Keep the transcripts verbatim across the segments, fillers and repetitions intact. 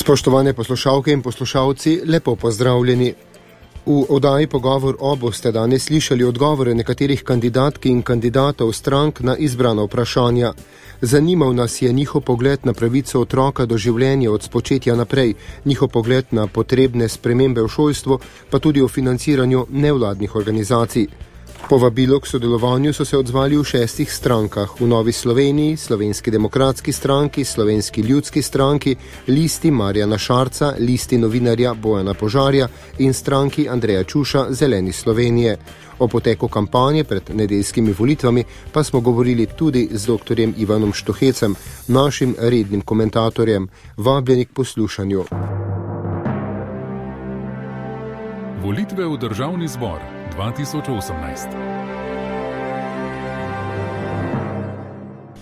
Spoštovane poslušalke in poslušalci, lepo pozdravljeni. V oddaji Pogovor o boste danes slišali odgovore nekaterih kandidatk in kandidatov strank na izbrana vprašanja. Zanimal nas je njihov pogled na pravico otroka do življenja od spočetja naprej, njihov pogled na potrebne spremembe v šolstvu, pa tudi o financiranju nevladnih organizacij. Povabilo k sodelovanju so se odzvali v šestih strankah, v Novi Sloveniji, Slovenski demokratski stranki, Slovenski ljudski stranki, Listi Marjana Šarca, Listi novinarja Bojana Požarja in stranki Andreja Čuša Zeleni Slovenije. O poteku kampanje pred nedeljskimi volitvami pa smo govorili tudi z doktorjem Ivanom Štohecem, našim rednim komentatorjem. Vabljeni k poslušanju. Volitve v Državni zbor dva tisoč osemnajst.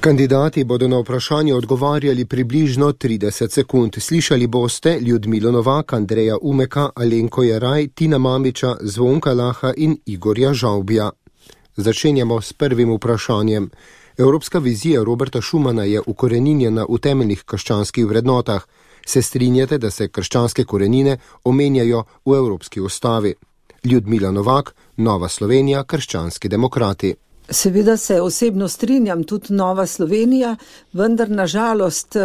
Kandidati bodo na vprašanje odgovarjali približno trideset sekund. Slišali boste Ljudmilo Novak, Andreja Umeka, Alenko Jeraj, Tina Mamiča, Zvonka Laha in Igorja Žavbija. Začenjamo s prvim vprašanjem. Evropska vizija Roberta Schumana je ukoreninjena v temeljnih krščanskih vrednotah. Se strinjate, da se krščanske korenine omenjajo v Evropski ustavi? Ljudmila Novak, Nova Slovenija, Krščanski demokrati. Seveda se osebno strinjam, tudi Nova Slovenija, vendar nažalost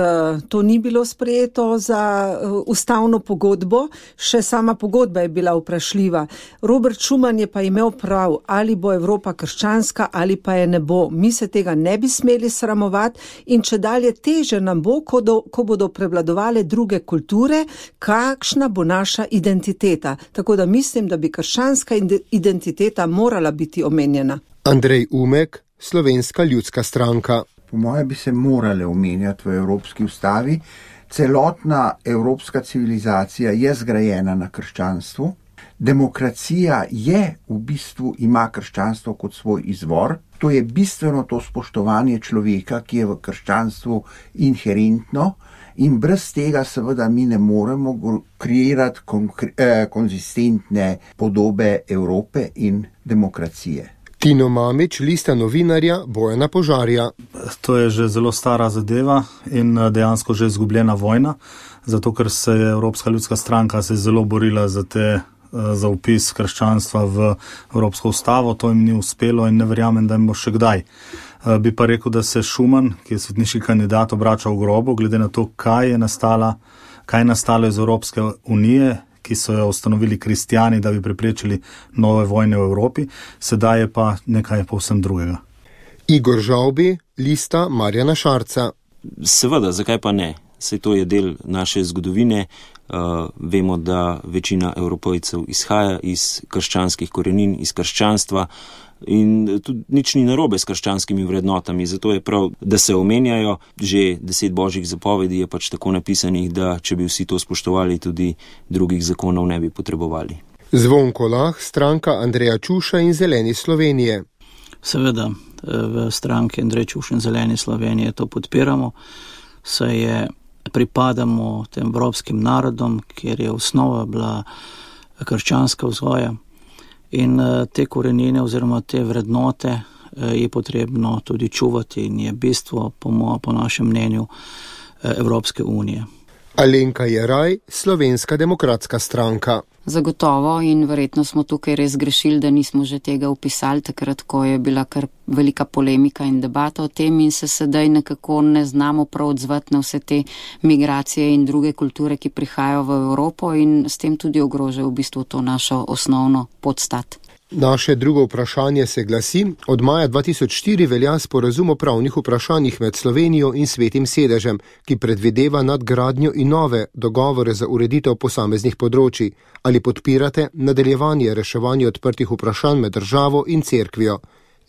to ni bilo sprejeto za ustavno pogodbo, še sama pogodba je bila vprašljiva. Robert Schuman je pa imel prav, ali bo Evropa krščanska ali pa je ne bo. Mi se tega ne bi smeli sramovati in če dalje teže nam bo, ko, do, ko bodo prevladovale druge kulture, kakšna bo naša identiteta. Tako da mislim, da bi krščanska identiteta morala biti omenjena. Andrej Umek, Slovenska ljudska stranka. Po moje bi se morale omenjati v Evropski ustavi. Celotna evropska civilizacija je zgrajena na krščanstvu. Demokracija je v bistvu, ima krščanstvo kot svoj izvor. To je bistveno to spoštovanje človeka, ki je v krščanstvu inherentno in brez tega seveda mi ne moremo kreirati konkre- eh, konzistentne podobe Evrope in demokracije. Tino Mamič, Lista novinarja Bojana Požarja. To je že zelo stara zadeva in dejansko že izgubljena vojna, zato ker se je Evropska ljudska stranka se zelo borila za, te, za upis krščanstva v Evropsko ustavo. To jim ni uspelo in ne verjamem, da jim bo še kdaj. Bi pa rekel, da se Schuman, ki je svetniški kandidat, obrača v grobu, glede na to, kaj je nastala, kaj je nastalo iz Evropske unije, ki so jo ustanovili kristjani, da bi preprečili nove vojne v Evropi, sedaj je pa nekaj povsem drugega. Igor Žavbi, Lista Marjana Šarca. Seveda, zakaj pa ne? Saj to je del naše zgodovine. Uh, vemo, da večina Evropejcev izhaja iz krščanskih korenin, iz krščanstva in tudi nič ni narobe s krščanskimi vrednotami, zato je prav, da se omenjajo. Že deset božjih zapovedi je pač tako napisanih, da če bi vsi to spoštovali, tudi drugih zakonov ne bi potrebovali. Zvonko Lah, stranka Andreja Čuša in Zeleni Slovenije. Seveda, v stranki Andrej Čuš in Zeleni Slovenije to podpiramo, saj je pripadamo tem evropskim narodom, kjer je osnova bila krščanska vzgoja. In te korenine oziroma te vrednote je potrebno tudi čuvati in je bistvo, po, mo, po našem mnenju, Evropske unije. Alenka Jeraj, Slovenska demokratska stranka. Zagotovo in verjetno smo tukaj res grešili, da nismo že tega upisali takrat, ko je bila kar velika polemika in debata o tem in se sedaj nekako ne znamo prav odzvati na vse te migracije in druge kulture, ki prihajajo v Evropo in s tem tudi ogrožajo v bistvu to našo osnovno podstat. Naše drugo vprašanje se glasi: od maja dva tisoč štiri velja sporazum o pravnih vprašanjih med Slovenijo in Svetim sedežem, ki predvideva nadgradnjo in nove dogovore za ureditev posameznih področij. Ali podpirate nadaljevanje reševanja odprtih vprašanj med državo in cerkvijo?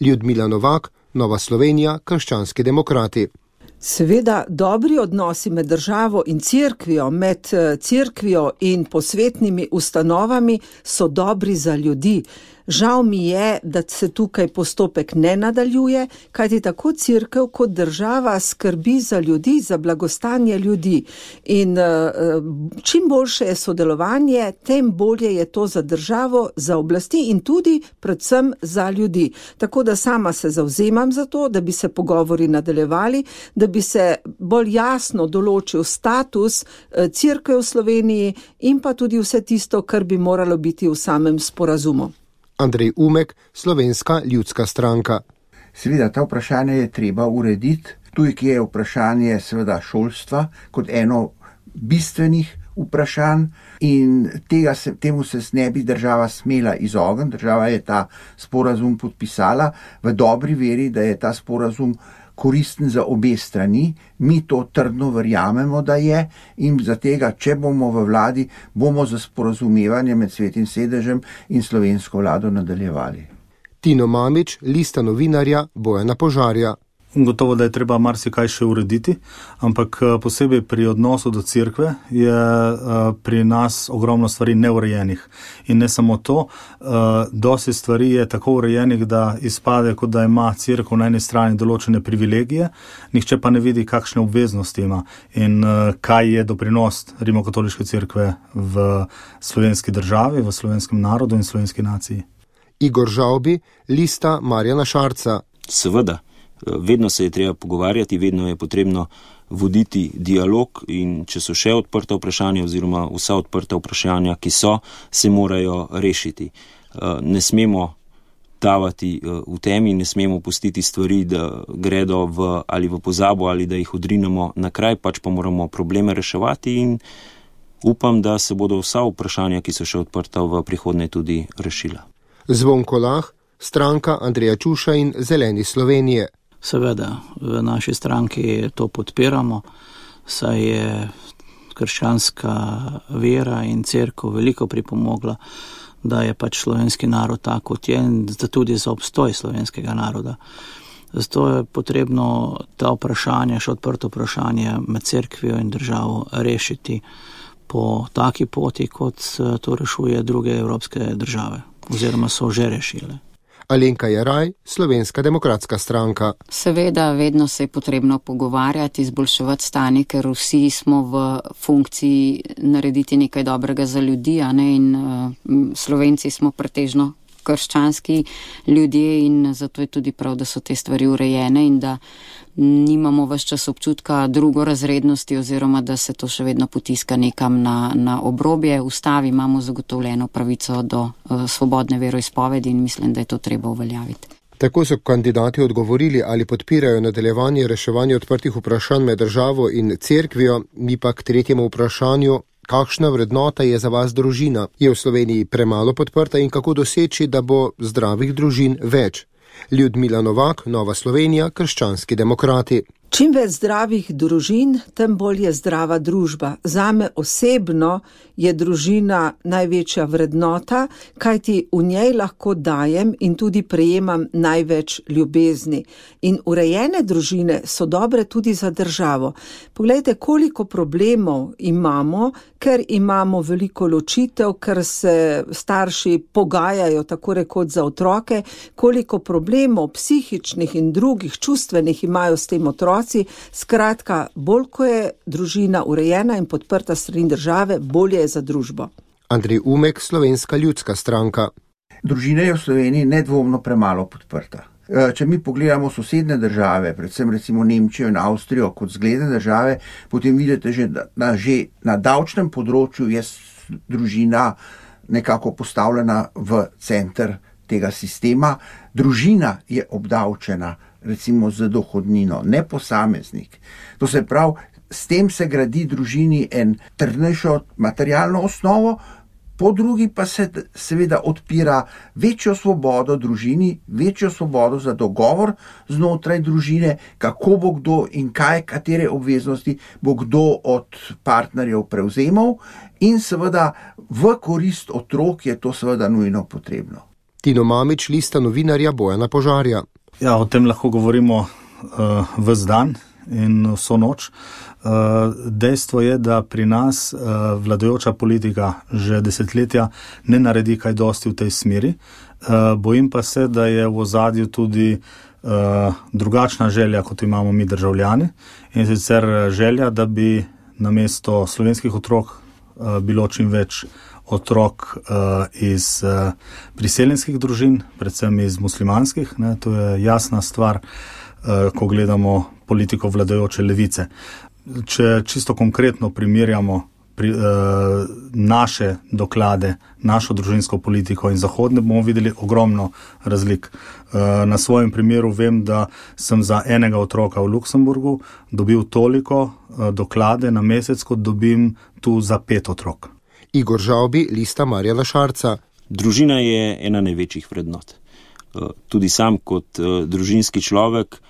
Ljudmila Novak, Nova Slovenija, Krščanski demokrati. Seveda, dobri odnosi med državo in cerkvijo, med cerkvijo in posvetnimi ustanovami so dobri za ljudi. Žal mi je, da se tukaj postopek ne nadaljuje, kajti tako cerkev kot država skrbi za ljudi, za blagostanje ljudi. In čim boljše je sodelovanje, tem bolje je to za državo, za oblasti in tudi predvsem za ljudi. Tako da sama se zavzemam za to, da bi se pogovori nadaljevali, da bi se bolj jasno določil status cerkev v Sloveniji in pa tudi vse tisto, kar bi moralo biti v samem sporazumu. Andrej Umek, Slovenska ljudska stranka. Seveda, ta vprašanje je treba urediti. Tujki je vprašanje seveda šolstva kot eno bistvenih vprašanj in tega se, temu se ne bi država smela izogniti. Država je ta sporazum podpisala v dobri veri, da je ta sporazum koristen za obe strani. Mi to trdno verjamemo, da je, in za tega, če bomo v vladi, bomo za sporazumevanje med Svetim sedežem in slovensko vlado nadaljevali. Tino Mamić, Lista novinarja Bojana Požarja. Gotovo, da je treba marsikaj še urediti, ampak posebej pri odnosu do cerkve je pri nas ogromno stvari neurejenih. In ne samo to, dosti stvari je tako urejenih, da izpade, kot da ima cerkev na eni strani določene privilegije, nihče pa ne vidi, kakšne obveznosti ima in kaj je doprinos rimokatoliške cerkve v slovenski državi, v slovenskem narodu in slovenski naciji. Igor Žavbi, Lista Marjana Šarca. Seveda. Vedno se je treba pogovarjati, vedno je potrebno voditi dialog in če so še odprta vprašanja oziroma vsa odprta vprašanja, ki so, se morajo rešiti. Ne smemo tavati v temi, ne smemo pustiti stvari, da gredo v, ali v pozabo ali da jih odrinemo na kraj, pač pa moramo probleme reševati in upam, da se bodo vsa vprašanja, ki so še odprta v prihodnje, tudi rešila. Zvonko Lah, stranka Andreja Čuša in Zeleni Slovenije. Seveda, v naši stranki to podpiramo, saj je krščanska vera in cerkev veliko pripomogla, da je pač slovenski narod tak, kot je, in tudi za obstoj slovenskega naroda. Zato je potrebno ta vprašanje, še odprto vprašanje med cerkvijo in državo rešiti po taki poti, kot to rešuje druge evropske države, oziroma so že rešile. Alenka Jeraj, Slovenska demokratska stranka. Seveda, vedno se je potrebno pogovarjati, izboljševati stanje, ker vsi smo v funkciji narediti nekaj dobrega za ljudi, a ne, in uh, Slovenci smo pretežno krščanski ljudje in zato je tudi prav, da so te stvari urejene in da nimamo ves čas občutka drugorazrednosti oziroma da se to še vedno potiska nekam na, na obrobje. V ustavi imamo zagotovljeno pravico do uh, svobodne veroizpovedi in mislim, da je to treba uveljaviti. Tako so kandidati odgovorili, ali podpirajo nadaljevanje reševanja odprtih vprašanj med državo in cerkvijo, mi pa k tretjemu vprašanju. Kakšna vrednota je za vas družina? Je v Sloveniji premalo podprta in kako doseči, da bo zdravih družin več? Ljudmila Novak, Nova Slovenija, Krščanski demokrati. Čim več zdravih družin, tem bolj je zdrava družba. Zame osebno je družina največja vrednota, kajti v njej lahko dajem in tudi prejemam največ ljubezni. In urejene družine so dobre tudi za državo. Poglejte, koliko problemov imamo, ker imamo veliko ločitev, ker se starši pogajajo tako rekoč za otroke, koliko problemov psihičnih in drugih čustvenih imajo s tem otroci. Skratka, bolj ko je družina urejena in podprta strani države, bolje je za družbo. Andrej Umek, Slovenska ljudska stranka. Družina je v Sloveniji nedvomno premalo podprta. Če mi pogledamo sosedne države, predvsem recimo Nemčijo in Avstrijo kot zgledne države, potem vidite, že na, že na davčnem področju je družina nekako postavljena v center tega sistema. Družina je obdavčena recimo z dohodnino, ne posameznik. To se pravi, s tem se gradi družini en trdnejšo materialno osnovo, po drugi pa se seveda odpira večjo svobodo družini, večjo svobodo za dogovor znotraj družine, kako bo kdo in kaj, katere obveznosti bo kdo od partnerjev prevzemal in seveda v korist otrok je to seveda nujno potrebno. Tino Mamić, Lista novinarja Bojana Požarja. Ja, o tem lahko govorimo uh, ves dan in vso noč. Dejstvo je, da pri nas vladajoča politika že desetletja ne naredi kaj dosti v tej smeri. Bojim pa se, da je v ozadju tudi drugačna želja, kot imamo mi državljani, in sicer želja, da bi namesto slovenskih otrok bilo čim več otrok iz priseljenskih družin, predvsem iz muslimanskih. Ne, to je jasna stvar, ko gledamo politiko vladajoče levice. Če čisto konkretno primerjamo pri, eh, naše doklade, našo družinsko politiko in zahodne, bomo videli ogromno razlik. Eh, na svojem primeru vem, da sem za enega otroka v Luksemburgu dobil toliko eh, doklade na mesec, kot dobim tu za pet otrok. Igor Žavbi, Lista Marjana Šarca. Družina je ena največjih vrednot. Eh, tudi sam kot eh, družinski človek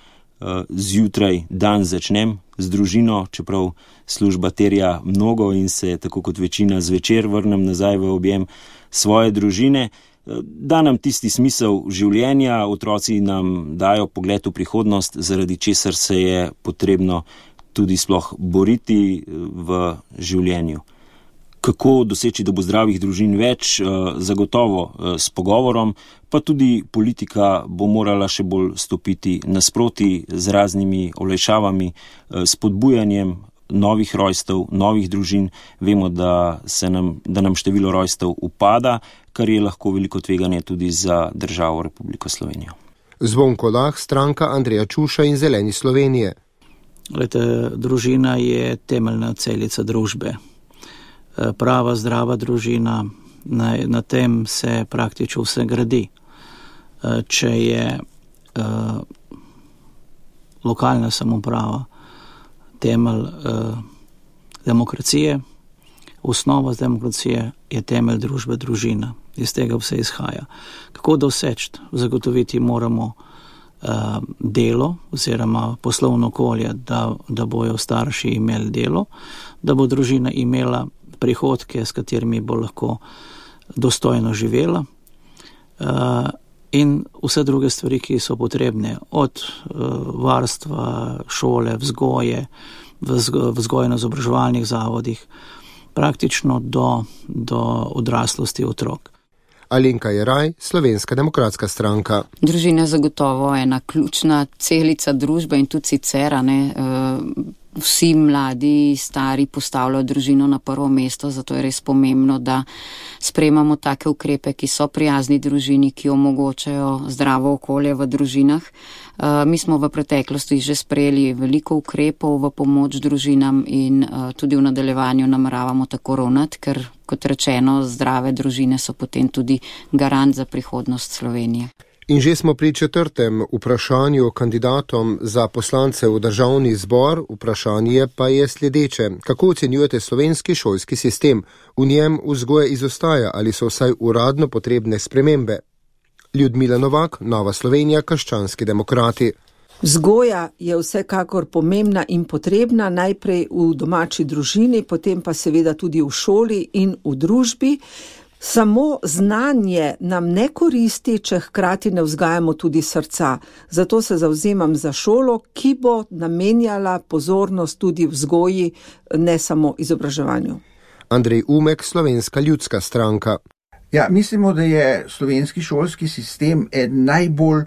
zjutraj dan začnem z družino, čeprav služba terja mnogo in se, tako kot večina, zvečer vrnem nazaj v objem svoje družine. Da nam tisti smisel življenja, otroci nam dajo pogled v prihodnost, zaradi česar se je potrebno tudi sploh boriti v življenju. Kako doseči, da bo zdravih družin več? Zagotovo s pogovorom, pa tudi politika bo morala še bolj stopiti nasproti z raznimi olajšavami, spodbujanjem novih rojstev, novih družin. Vemo, da, se nam, da nam število rojstev upada, kar je lahko veliko tveganje tudi za državo Republiko Slovenijo. Zvonko Lah, stranka Andreja Čuša in Zeleni Slovenije. Glede, družina je temeljna celica družbe. Prava, zdrava družina, na, na tem se praktično vse gradi. Če je uh, lokalna samouprava temelj uh, demokracije, osnova demokracije je temelj družbe, družina. Iz tega vse izhaja. Kako doseči? Zagotoviti moramo uh, delo oziroma poslovno okolje, da, da bojo starši imeli delo, da bo družina imela prihodke, s katerimi bo lahko dostojno živela, uh, in vse druge stvari, ki so potrebne, od uh, varstva, šole, vzgoje, vzgojno-izobraževalnih zavodih, praktično do, do odraslosti otrok. Alenka Jeraj, Slovenska demokratska stranka. Družina je zagotovo ena ključna celica družbe in tudi sicer, ne, uh, vsi mladi, stari postavljajo družino na prvo mesto, zato je res pomembno, da sprejemamo take ukrepe, ki so prijazni družini, ki omogočajo zdravo okolje v družinah. Uh, mi smo v preteklosti že sprejeli veliko ukrepov v pomoč družinam in uh, tudi v nadaljevanju nameravamo tako ravnati, ker, kot rečeno, zdrave družine so potem tudi garant za prihodnost Slovenije. In že smo pri četrtem vprašanju kandidatom za poslance v državni zbor. Vprašanje pa je sledeče. Kako ocenjujete slovenski šolski sistem? V njem vzgoja izostaja ali so vsaj uradno potrebne spremembe? Ljudmila Novak, Nova Slovenija, Krščanski demokrati. Vzgoja je vsekakor pomembna in potrebna, najprej v domači družini, potem pa seveda tudi v šoli in v družbi. Samo znanje nam ne koristi, če hkrati ne vzgajamo tudi srca. Zato se zavzemam za šolo, ki bo namenjala pozornost tudi vzgoji, ne samo izobraževanju. Andrej Umek, Slovenska ljudska stranka. Ja, mislimo, da je slovenski šolski sistem eden najbolj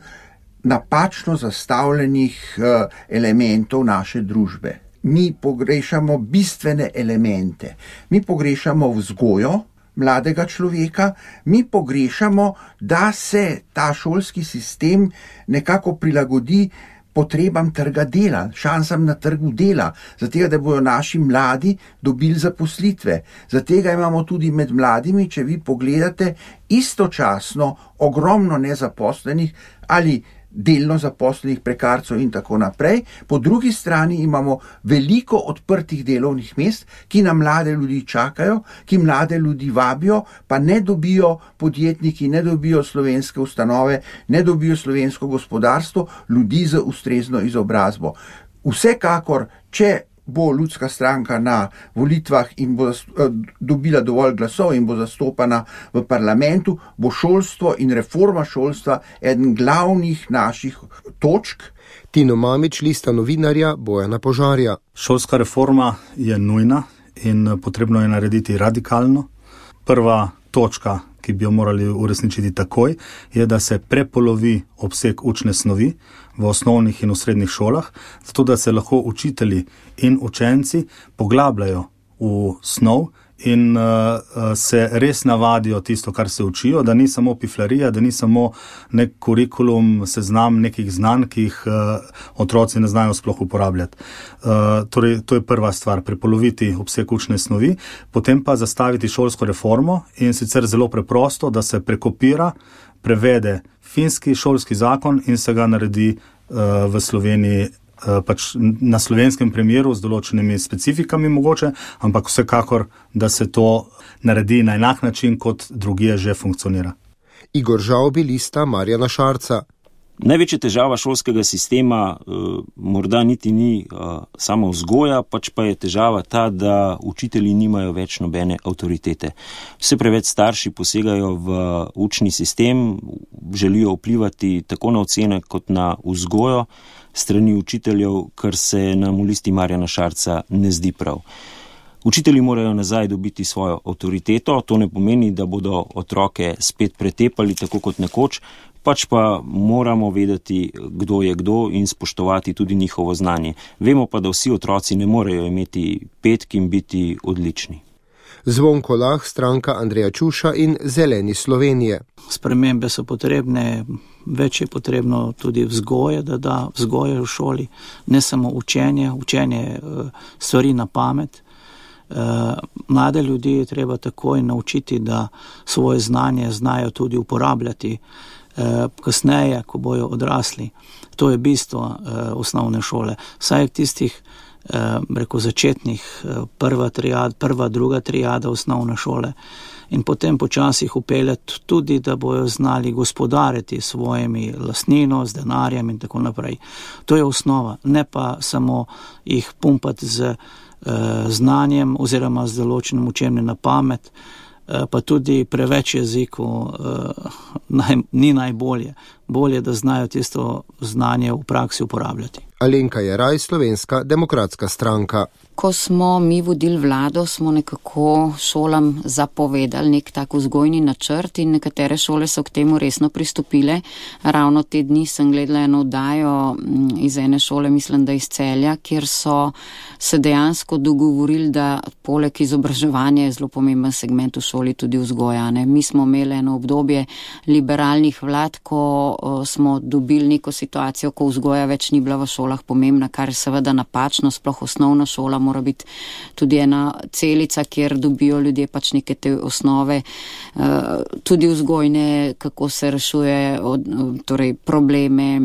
napačno zastavljenih uh, elementov naše družbe. Mi pogrešamo bistvene elemente. Mi pogrešamo vzgojo mladega človeka, mi pogrešamo, da se ta šolski sistem nekako prilagodi potrebam trga dela, šansam na trgu dela, zato da bodo naši mladi dobili zaposlitve. Zato imamo tudi med mladimi, če vi pogledate, istočasno ogromno nezaposlenih ali delno zaposlenih prekarcev in tako naprej. Po drugi strani imamo veliko odprtih delovnih mest, ki na mlade ljudi čakajo, ki mlade ljudi vabijo, pa ne dobijo podjetniki, ne dobijo slovenske ustanove, ne dobijo slovensko gospodarstvo, ljudi z ustrezno izobrazbo. Vsekakor, če bo ljudska stranka na volitvah in bo dobila dovolj glasov in bo zastopana v parlamentu, bo šolstvo in reforma šolstva eden glavnih naših točk. Tino Mamić, lista novinarja Bojana Požarja. Šolska reforma je nujna in potrebno je narediti radikalno. Prva točka, ki bi jo morali uresničiti takoj, je, da se prepolovi obseg učne snovi v osnovnih in v srednjih šolah, zato da se lahko učitelji in učenci poglabljajo v snov in uh, se res navadijo tisto, kar se učijo, da ni samo piflarija, da ni samo nek kurikulum, seznam nekih znanj, ki jih uh, otroci ne znajo sploh uporabljati. Uh, torej, to je prva stvar, prepoloviti obseg učne snovi, potem pa zastaviti šolsko reformo in sicer zelo preprosto, da se prekopira, prevede finski šolski zakon in se ga naredi uh, v Sloveniji pač na slovenskem primeru z določenimi specifikami mogoče, ampak vsekakor, da se to naredi na enak način, kot drugje že funkcionira. Igor Žavbi, lista Marjana Šarca. Največja težava šolskega sistema uh, morda niti ni uh, samo vzgoja, pač pa je težava ta, da učitelji nimajo več nobene avtoritete. Vse preveč starši posegajo v učni sistem, želijo vplivati tako na ocene kot na vzgojo strani učiteljev, kar se nam v listi Marjana Šarca ne zdi prav. Učitelji morajo nazaj dobiti svojo avtoriteto, to ne pomeni, da bodo otroke spet pretepali tako kot nekoč, pač pa moramo vedeti, kdo je kdo in spoštovati tudi njihovo znanje. Vemo pa, da vsi otroci ne morejo imeti petk in biti odlični. Zvonko Lah, stranka Andreja Čuša in Zeleni Slovenije. Spremembe so potrebne, več je potrebno tudi vzgoje, da da vzgoje v šoli, ne samo učenje, učenje stvari na pamet. Mlade ljudi je treba takoj naučiti, da svoje znanje znajo tudi uporabljati kasneje, ko bojo odrasli. To je bistvo osnovne šole. Saj tistih reko začetnih, prva triada, prva, druga triada osnovne šole in potem počasih upeljati tudi, da bojo znali gospodariti svojimi lastnino, z denarjem in tako naprej. To je osnova, ne pa samo jih pumpati z uh, znanjem oziroma z določenim učenjem na pamet, uh, pa tudi preveč jezikov uh, naj, ni najbolje. Bolje, da znajo tisto znanje v praksi uporabljati. Alenka Jeraj, Slovenska demokratska stranka. Ko smo mi vodili vlado, smo nekako šolam zapovedali nek tak vzgojni načrt in nekatere šole so k temu resno pristopile. Ravno te dni sem gledala eno oddajo iz ene šole, mislim, da iz Celja, kjer so se dejansko dogovorili, da poleg izobraževanja je zelo pomemben segment v šoli tudi vzgoja. Ne? Mi smo imeli eno obdobje liberalnih vlad, ko smo dobili neko situacijo, ko vzgoja več ni bila v šolah pomembna, kar je seveda napačno, sploh osnovna šola mora biti tudi ena celica, kjer dobijo ljudje pač neke te osnove, tudi vzgojne, kako se rešuje torej probleme,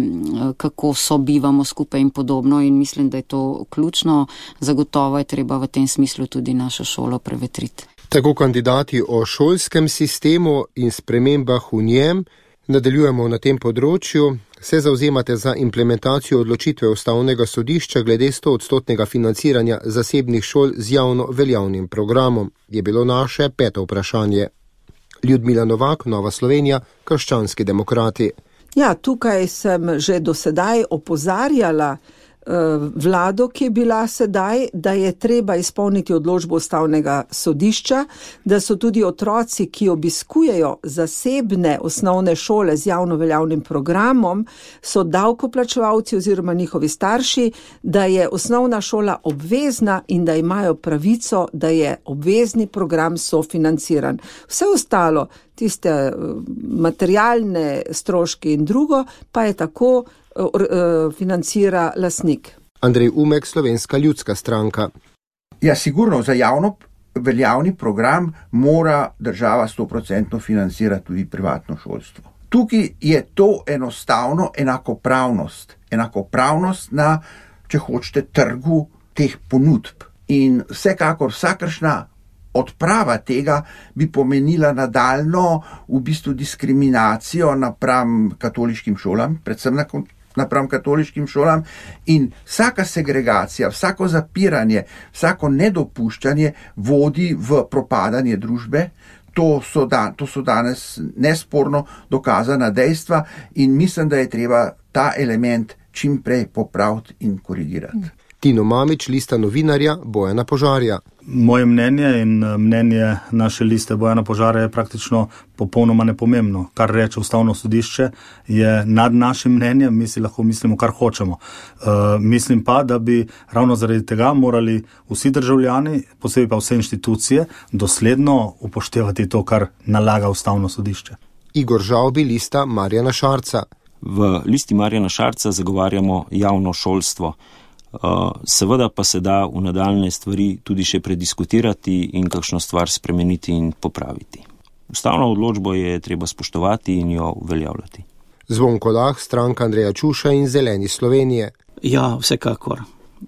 kako sobivamo skupaj in podobno in mislim, da je to ključno. Zagotovo je treba v tem smislu tudi našo šolo prevetriti. Tako kandidati o šolskem sistemu in spremembah v njem. Nadaljujemo na tem področju. Se zauzemate za implementacijo odločitve Ustavnega sodišča glede stoodstotnega financiranja zasebnih šol z javno veljavnim programom, je bilo naše peto vprašanje. Ljudmila Novak, Nova Slovenija, Krščanski demokrati. Ja, tukaj sem že do sedaj opozarjala vlado, ki je bila sedaj, da je treba izpolniti odločbo Ustavnega sodišča, da so tudi otroci, ki obiskujejo zasebne osnovne šole z javno veljavnim programom, so davkoplačevalci oziroma njihovi starši, da je osnovna šola obvezna in da imajo pravico, da je obvezni program sofinanciran. Vse ostalo, tiste materialne stroške in drugo, pa je tako financira lastnik. Andrej Umek, Slovenska ljudska stranka. Ja, sigurno, za javno veljavni program mora država sto procentno financirati tudi privatno šolstvo. Tukaj je to enostavno enakopravnost. Enakopravnost na, če hočete, trgu teh ponudb. In vsekakor vsakršna odprava tega bi pomenila nadaljno v bistvu diskriminacijo napram katoliškim šolam, predvsem na napram katoliškim šolam in vsaka segregacija, vsako zapiranje, vsako nedopuščanje vodi v propadanje družbe. To so, da, to so danes nesporno dokazana dejstva in mislim, da je treba ta element čim prej popraviti in korigirati. Tino Mamić, lista novinarja Bojana Požarja. Moje mnenje in mnenje naše liste Bojana Požarja je praktično popolnoma nepomembno. Kar reče Ustavno sodišče je nad našim mnenjem, mi si lahko mislimo, kar hočemo. Uh, mislim pa, da bi ravno zaradi tega morali vsi državljani, posebej pa vse inštitucije, dosledno upoštevati to, kar nalaga Ustavno sodišče. Igor Žavbi, lista Marjana Šarca. V listi Marjana Šarca zagovarjamo javno šolstvo. Seveda pa se da v nadaljne stvari tudi še prediskutirati in kakšno stvar spremeniti in popraviti. Ustavno odločbo je treba spoštovati in jo uveljavljati. Zvonko Lah, stranka Andreja Čuša in Zeleni Slovenije. Ja, vsekakor.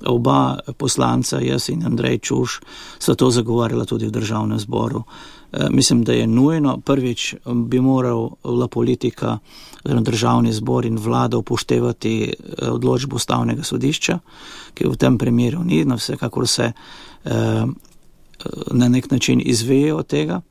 Oba poslanca, jaz in Andrej Čuš, so to zagovarjala tudi v državnem zboru. E, mislim, da je nujno. Prvič bi morala politika, državni zbor in vlada upoštevati odločbo Ustavnega sodišča, ki v tem primeru ni, no vsekakor se e, na nek način izveje od tega,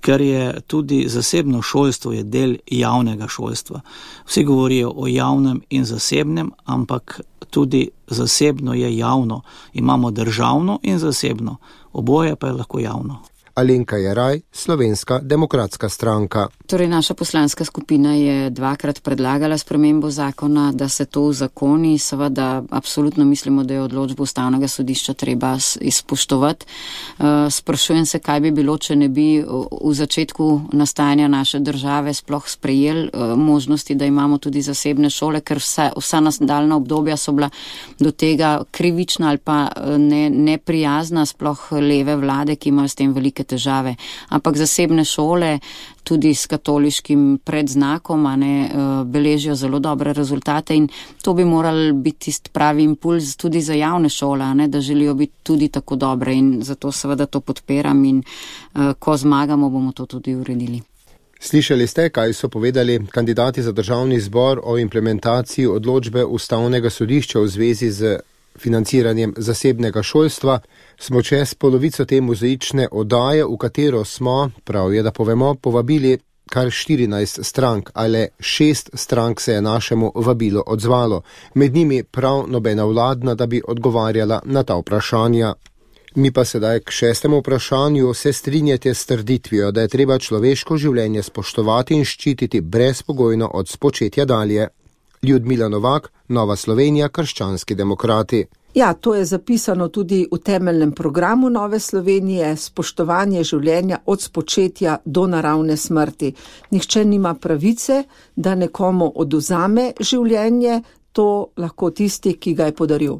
ker je tudi zasebno šolstvo je del javnega šolstva. Vsi govorijo o javnem in zasebnem, ampak tudi zasebno je javno. Imamo državno in zasebno, oboje pa je lahko javno. Alenka Jeraj, Slovenska demokratska stranka. Torej, naša poslanska skupina je dvakrat predlagala spremembo zakona, da se to uzakoni. Seveda, absolutno mislimo, da je odločbo Ustavnega sodišča treba izpoštovati. Sprašujem se, kaj bi bilo, če ne bi v začetku nastajanja naše države sploh sprejeli možnosti, da imamo tudi zasebne šole, ker vsa, vsa nadaljna obdobja so bila do tega krivična ali pa ne, neprijazna, sploh leve vlade, ki imajo s tem velike težave. Ampak zasebne šole tudi s katoliškim predznakom a ne, beležijo zelo dobre rezultate in to bi moral biti tisti pravi impuls tudi za javne šole, a ne, da želijo biti tudi tako dobre in zato seveda to podpiram in ko zmagamo, bomo to tudi uredili. Slišali ste, kaj so povedali kandidati za državni zbor o implementaciji odločbe Ustavnega sodišča v zvezi z financiranjem zasebnega šolstva. Smo čez polovico te mozaične oddaje, v katero smo, prav je, da povemo, povabili kar štirinajst strank, ali šest strank se je našemu vabilu odzvalo. Med njimi prav nobena vladna, da bi odgovarjala na ta vprašanja. Mi pa sedaj k šestemu vprašanju. Se strinjate s trditvijo, da je treba človeško življenje spoštovati in ščititi brezpogojno od spočetja dalje? Ljudmila Novak, Nova Slovenija, Krščanski demokrati. Ja, to je zapisano tudi v temeljnem programu Nove Slovenije, spoštovanje življenja od spočetja do naravne smrti. Nihče nima pravice, da nekomu odvzame življenje, to lahko tisti, ki ga je podaril.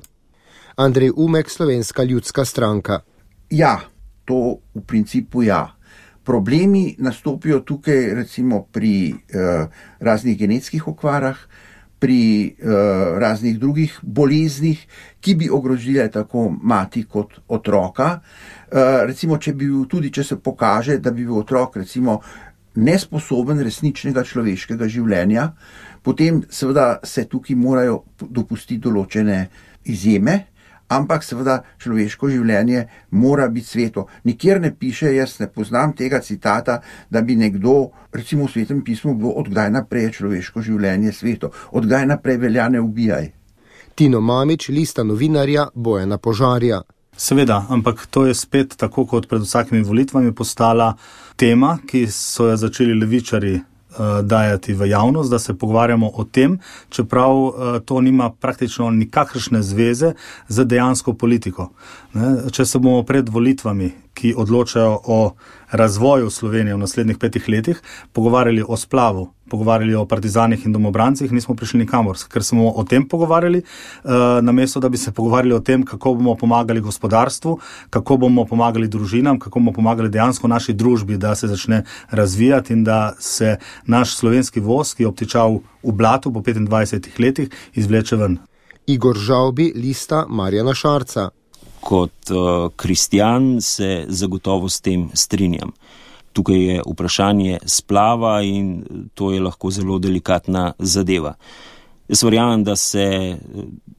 Andrej Umek, Slovenska ljudska stranka. Ja, to v principu ja. Problemi nastopijo tukaj recimo pri eh, raznih genetskih okvarah, pri uh, raznih drugih boleznih, ki bi ogrozile tako mati kot otroka. Uh, recimo, če bi bil, tudi če se pokaže, da bi bil otrok recimo nesposoben resničnega človeškega življenja, potem seveda se tukaj morajo dopustiti določene izjeme, ampak seveda človeško življenje mora biti sveto. Nikjer ne piše, jaz ne poznam tega citata, da bi nekdo, recimo v Svetem pismu, bilo odkdaj naprej je človeško življenje sveto, odkdaj naprej velja ne ubijaj. Tino Mamić, lista novinarja Bojana Požarja. Seveda, ampak to je spet tako kot pred vsakimi volitvami postala tema, ki so jo začeli levičari dajati v javnost, da se pogovarjamo o tem, čeprav to nima praktično nikakršne zveze z dejansko politiko. Če se bomo pred volitvami, ki odločajo o razvoju Slovenije v naslednjih petih letih, pogovarjali o splavu, pogovarjali o partizanih in domobrancih, nismo prišli nikamor, ker smo o tem pogovarjali, namesto da bi se pogovarjali o tem, kako bomo pomagali gospodarstvu, kako bomo pomagali družinam, kako bomo pomagali dejansko naši družbi, da se začne razvijati in da se naš slovenski voz, ki je obtičal v blatu po petindvajsetih letih, izvleče ven. Igor Žavbi, lista Marjana Šarca. Kot uh, kristjan se zagotovo s tem strinjam. Tukaj je vprašanje splava in to je lahko zelo delikatna zadeva. Jaz verjamem, da se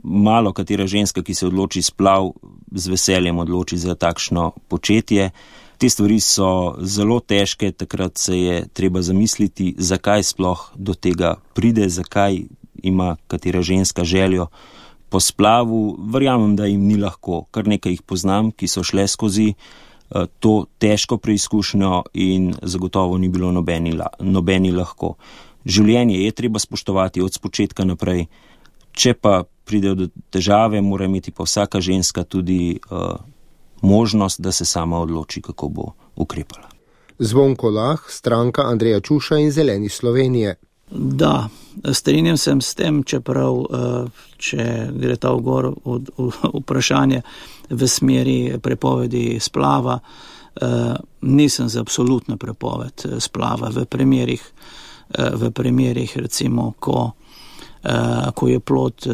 malo katera ženska, ki se odloči splav, z veseljem odloči za takšno početje. Te stvari so zelo težke, takrat se je treba zamisliti, zakaj sploh do tega pride, zakaj ima katera ženska željo po splavu. Verjamem, da jim ni lahko. Kar nekaj jih poznam, ki so šle skozi to težko preizkušnjo in zagotovo ni bilo nobeni, nobeni lahko. Življenje je treba spoštovati od spočetka naprej. Če pa pride do težave, mora imeti pa vsaka ženska tudi uh, možnost, da se sama odloči, kako bo ukrepala. Zvonko Lah, stranka Andreja Čuša in Zeleni Slovenije. Da, strinjam se s tem, čeprav, če gre ta vgor od vprašanje v smeri prepovedi splava, nisem za absolutno prepoved splava v primerih, v primerih recimo, ko, ko je plod,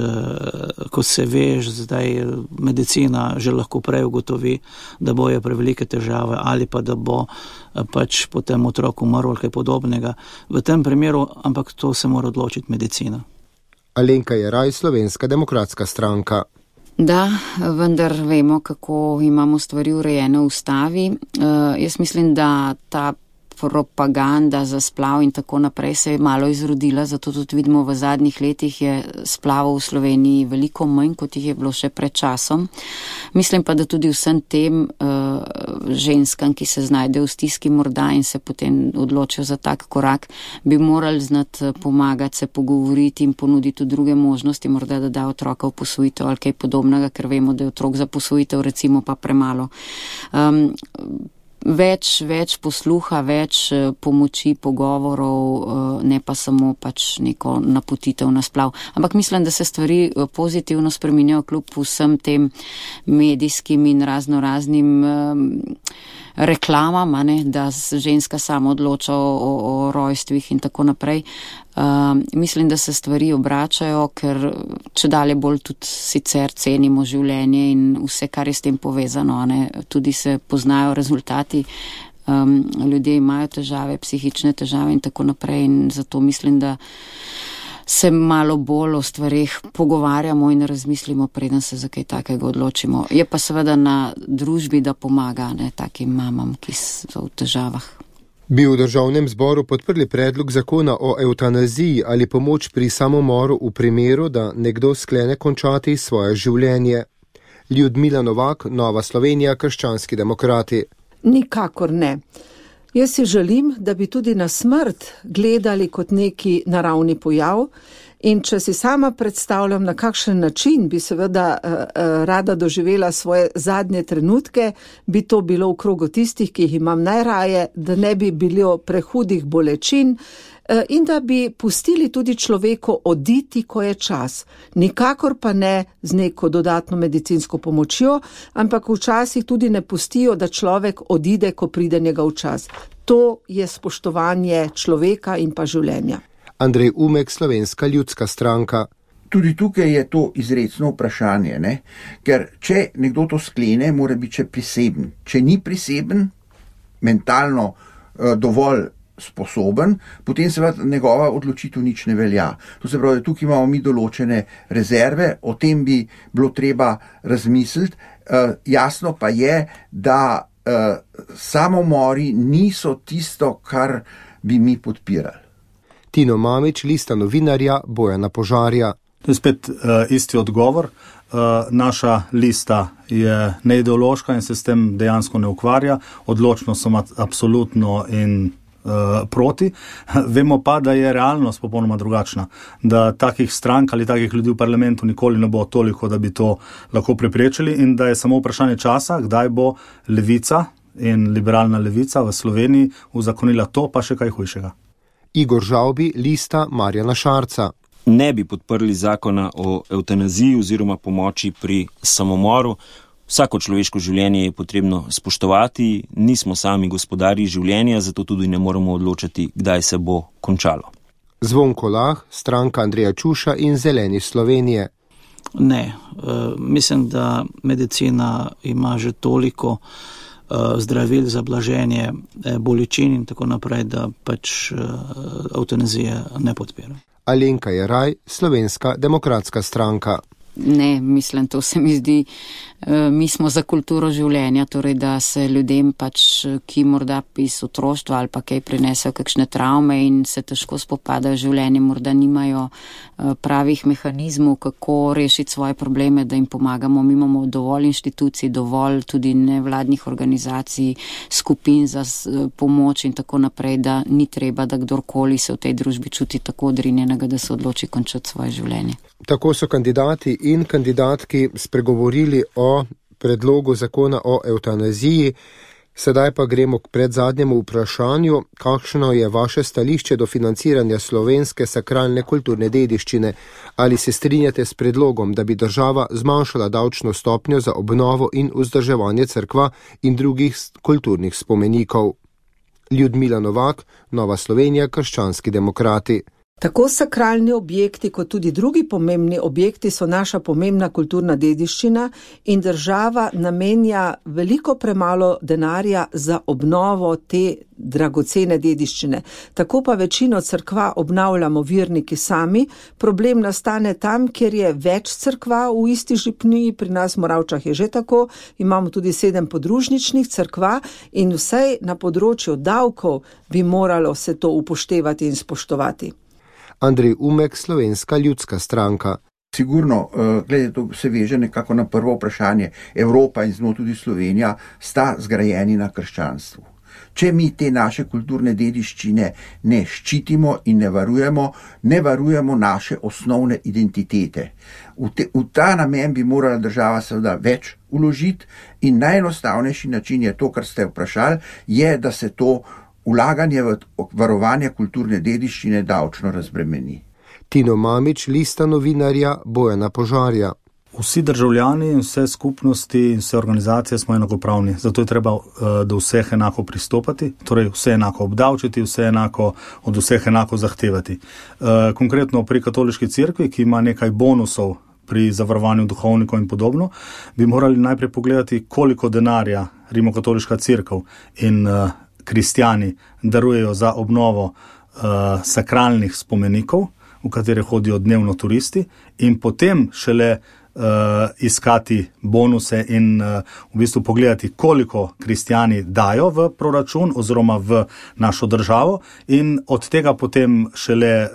ko se veš, zdaj medicina že lahko prej ugotovi, da bojo prevelike težave ali pa da bo pač potem otrok umrl ali kaj podobnega. V tem primeru, ampak to se mora odločiti medicina. Alenka Jeraj, Slovenska demokratska stranka. Da, vendar vemo, kako imamo stvari urejene v ustavi. Uh, jaz mislim, da ta propaganda za splav in tako naprej se je malo izrodila, zato tudi vidimo, v zadnjih letih je splavov v Sloveniji veliko manj, kot jih je bilo še pred časom. Mislim pa, da tudi vsem tem uh, ženskam, ki se znajdejo v stiski morda in se potem odločijo za tak korak, bi morali znati pomagati, se pogovoriti in ponuditi druge možnosti, morda da da otroka v posvojitev ali kaj podobnega, ker vemo, da je otrok za posvojitev recimo pa premalo. Um, Več, več posluha, več pomoči, pogovorov, ne pa samo pač neko napotitev na splav. Ampak mislim, da se stvari pozitivno spreminjajo kljub vsem tem medijskim in razno raznim um, reklamam, ne, da ženska sama odloča o, o rojstvih in tako naprej. Um, mislim, da se stvari obračajo, ker če dalje bolj tudi sicer cenimo življenje in vse, kar je s tem povezano, ne, tudi se poznajo rezultati. Um, ljudje imajo težave, psihične težave in tako naprej in zato mislim, da se malo bolj o stvarih pogovarjamo in razmislimo, preden se za kaj takega odločimo. Je pa seveda na družbi, da pomaga, ne, takim mamam, ki so v težavah. Bi v državnem zboru podprli predlog zakona o evtanaziji ali pomoč pri samomoru v primeru, da nekdo sklene končati svoje življenje? Ljudmila Novak, Nova Slovenija, Krščanski demokrati. Nikakor ne. Jaz si želim, da bi tudi na smrt gledali kot neki naravni pojav in če si sama predstavljam, na kakšen način bi seveda uh, uh, rada doživela svoje zadnje trenutke, bi to bilo v krogu tistih, ki jih imam najraje, da ne bi bilo prehudih bolečin uh, in da bi pustili tudi človeku oditi, ko je čas. Nikakor pa ne z neko dodatno medicinsko pomočjo, ampak včasih tudi ne pustijo, da človek odide, ko pride njegov čas. To je spoštovanje človeka in pa življenja. Andrej Umek, Slovenska ljudska stranka. Tudi tukaj je to izrecno vprašanje, ne? Ker če nekdo to sklene, mora biti še priseben. Če ni priseben, mentalno uh, dovolj sposoben, potem seveda njegova odločitev nič ne velja. To se pravi, tukaj imamo mi določene rezerve, o tem bi bilo treba razmisliti. Uh, jasno pa je, da uh, samomori niso tisto, kar bi mi podpirali. Tino Mamić, Lista novinarja, Bojana Požarja. To je spet uh, isti odgovor. Uh, naša lista je neideološka in se s tem dejansko ne ukvarja. Odločno sem absolutno in uh, proti. Vemo pa, da je realnost popolnoma drugačna. Da takih strank ali takih ljudi v parlamentu nikoli ne bo toliko, da bi to lahko preprečili in da je samo vprašanje časa, kdaj bo levica in liberalna levica v Sloveniji uzakonila to, pa še kaj hujšega. Igor Žavbi, Lista Marjana Šarca. Ne bi podprli zakona o evtanaziji oziroma pomoči pri samomoru. Vsako človeško življenje je potrebno spoštovati, nismo sami gospodarji življenja, zato tudi ne moremo odločati, kdaj se bo končalo. Zvonko Lah, stranka Andreja Čuša in Zeleni Slovenije. Ne, mislim, da medicina ima že toliko zdravil za blaženje bolečin in tako naprej, da pač eutanazije ne podpira. Alenka Jeraj, Slovenska demokratska stranka. Ne, mislim, to se mi zdi, mi smo za kulturo življenja, torej da se ljudem pač, ki morda iz otroštva ali pa kaj prinesejo kakšne travme in se težko spopadajo življenje, morda nimajo pravih mehanizmov, kako rešiti svoje probleme, da jim pomagamo. Mi imamo dovolj inštitucij, dovolj tudi nevladnih organizacij, skupin za pomoč in tako naprej, da ni treba, da kdorkoli se v tej družbi čuti tako odrinjenega, da se odloči končati svoje življenje. Tako so kandidati in kandidatki spregovorili o predlogu zakona o evtanaziji. Sedaj pa gremo k predzadnjemu vprašanju, kakšno je vaše stališče do financiranja slovenske sakralne kulturne dediščine. Ali se strinjate s predlogom, da bi država zmanjšala davčno stopnjo za obnovo in vzdrževanje cerkva in drugih kulturnih spomenikov? Ljudmila Novak, Nova Slovenija, Krščanski demokrati. Tako sakralni objekti kot tudi drugi pomembni objekti so naša pomembna kulturna dediščina in država namenja veliko premalo denarja za obnovo te dragocene dediščine. Tako pa večino cerkva obnavljamo verniki sami. Problem nastane tam, kjer je več cerkva v isti župniji, pri nas v Moravčah je že tako, imamo tudi sedem podružničnih cerkva in vsaj na področju davkov bi moralo se to upoštevati in spoštovati. Andrej Umek, Slovenska ljudska stranka. Sigurno, glede, to se veže nekako na prvo vprašanje. Evropa in z njo tudi Slovenija sta zgrajeni na krščanstvu. Če mi te naše kulturne dediščine ne ščitimo in ne varujemo, ne varujemo naše osnovne identitete. V, te, v ta namen bi morala država seveda več vložiti in najenostavnejši način je to, kar ste vprašali, je, da se to vlaganje v varovanje kulturne dediščine davčno razbremeni. Tino Mamić, Lista novinarja Bojana Požarja. Vsi državljani, vse skupnosti in vse organizacije smo enakopravni, zato je treba do vseh enako pristopati, torej vse enako obdavčiti, vse enako od vseh enako zahtevati. Konkretno pri katoliški cerkvi, ki ima nekaj bonusov pri zavarovanju duhovnikov in podobno, bi morali najprej pogledati, koliko denarja Rimokatoliška cerkev in kristjani darujejo za obnovo uh, sakralnih spomenikov, v katere hodijo dnevno turisti, in potem šele uh, iskati bonuse in uh, v bistvu pogledati, koliko kristjani dajo v proračun oziroma v našo državo in od tega potem šele uh,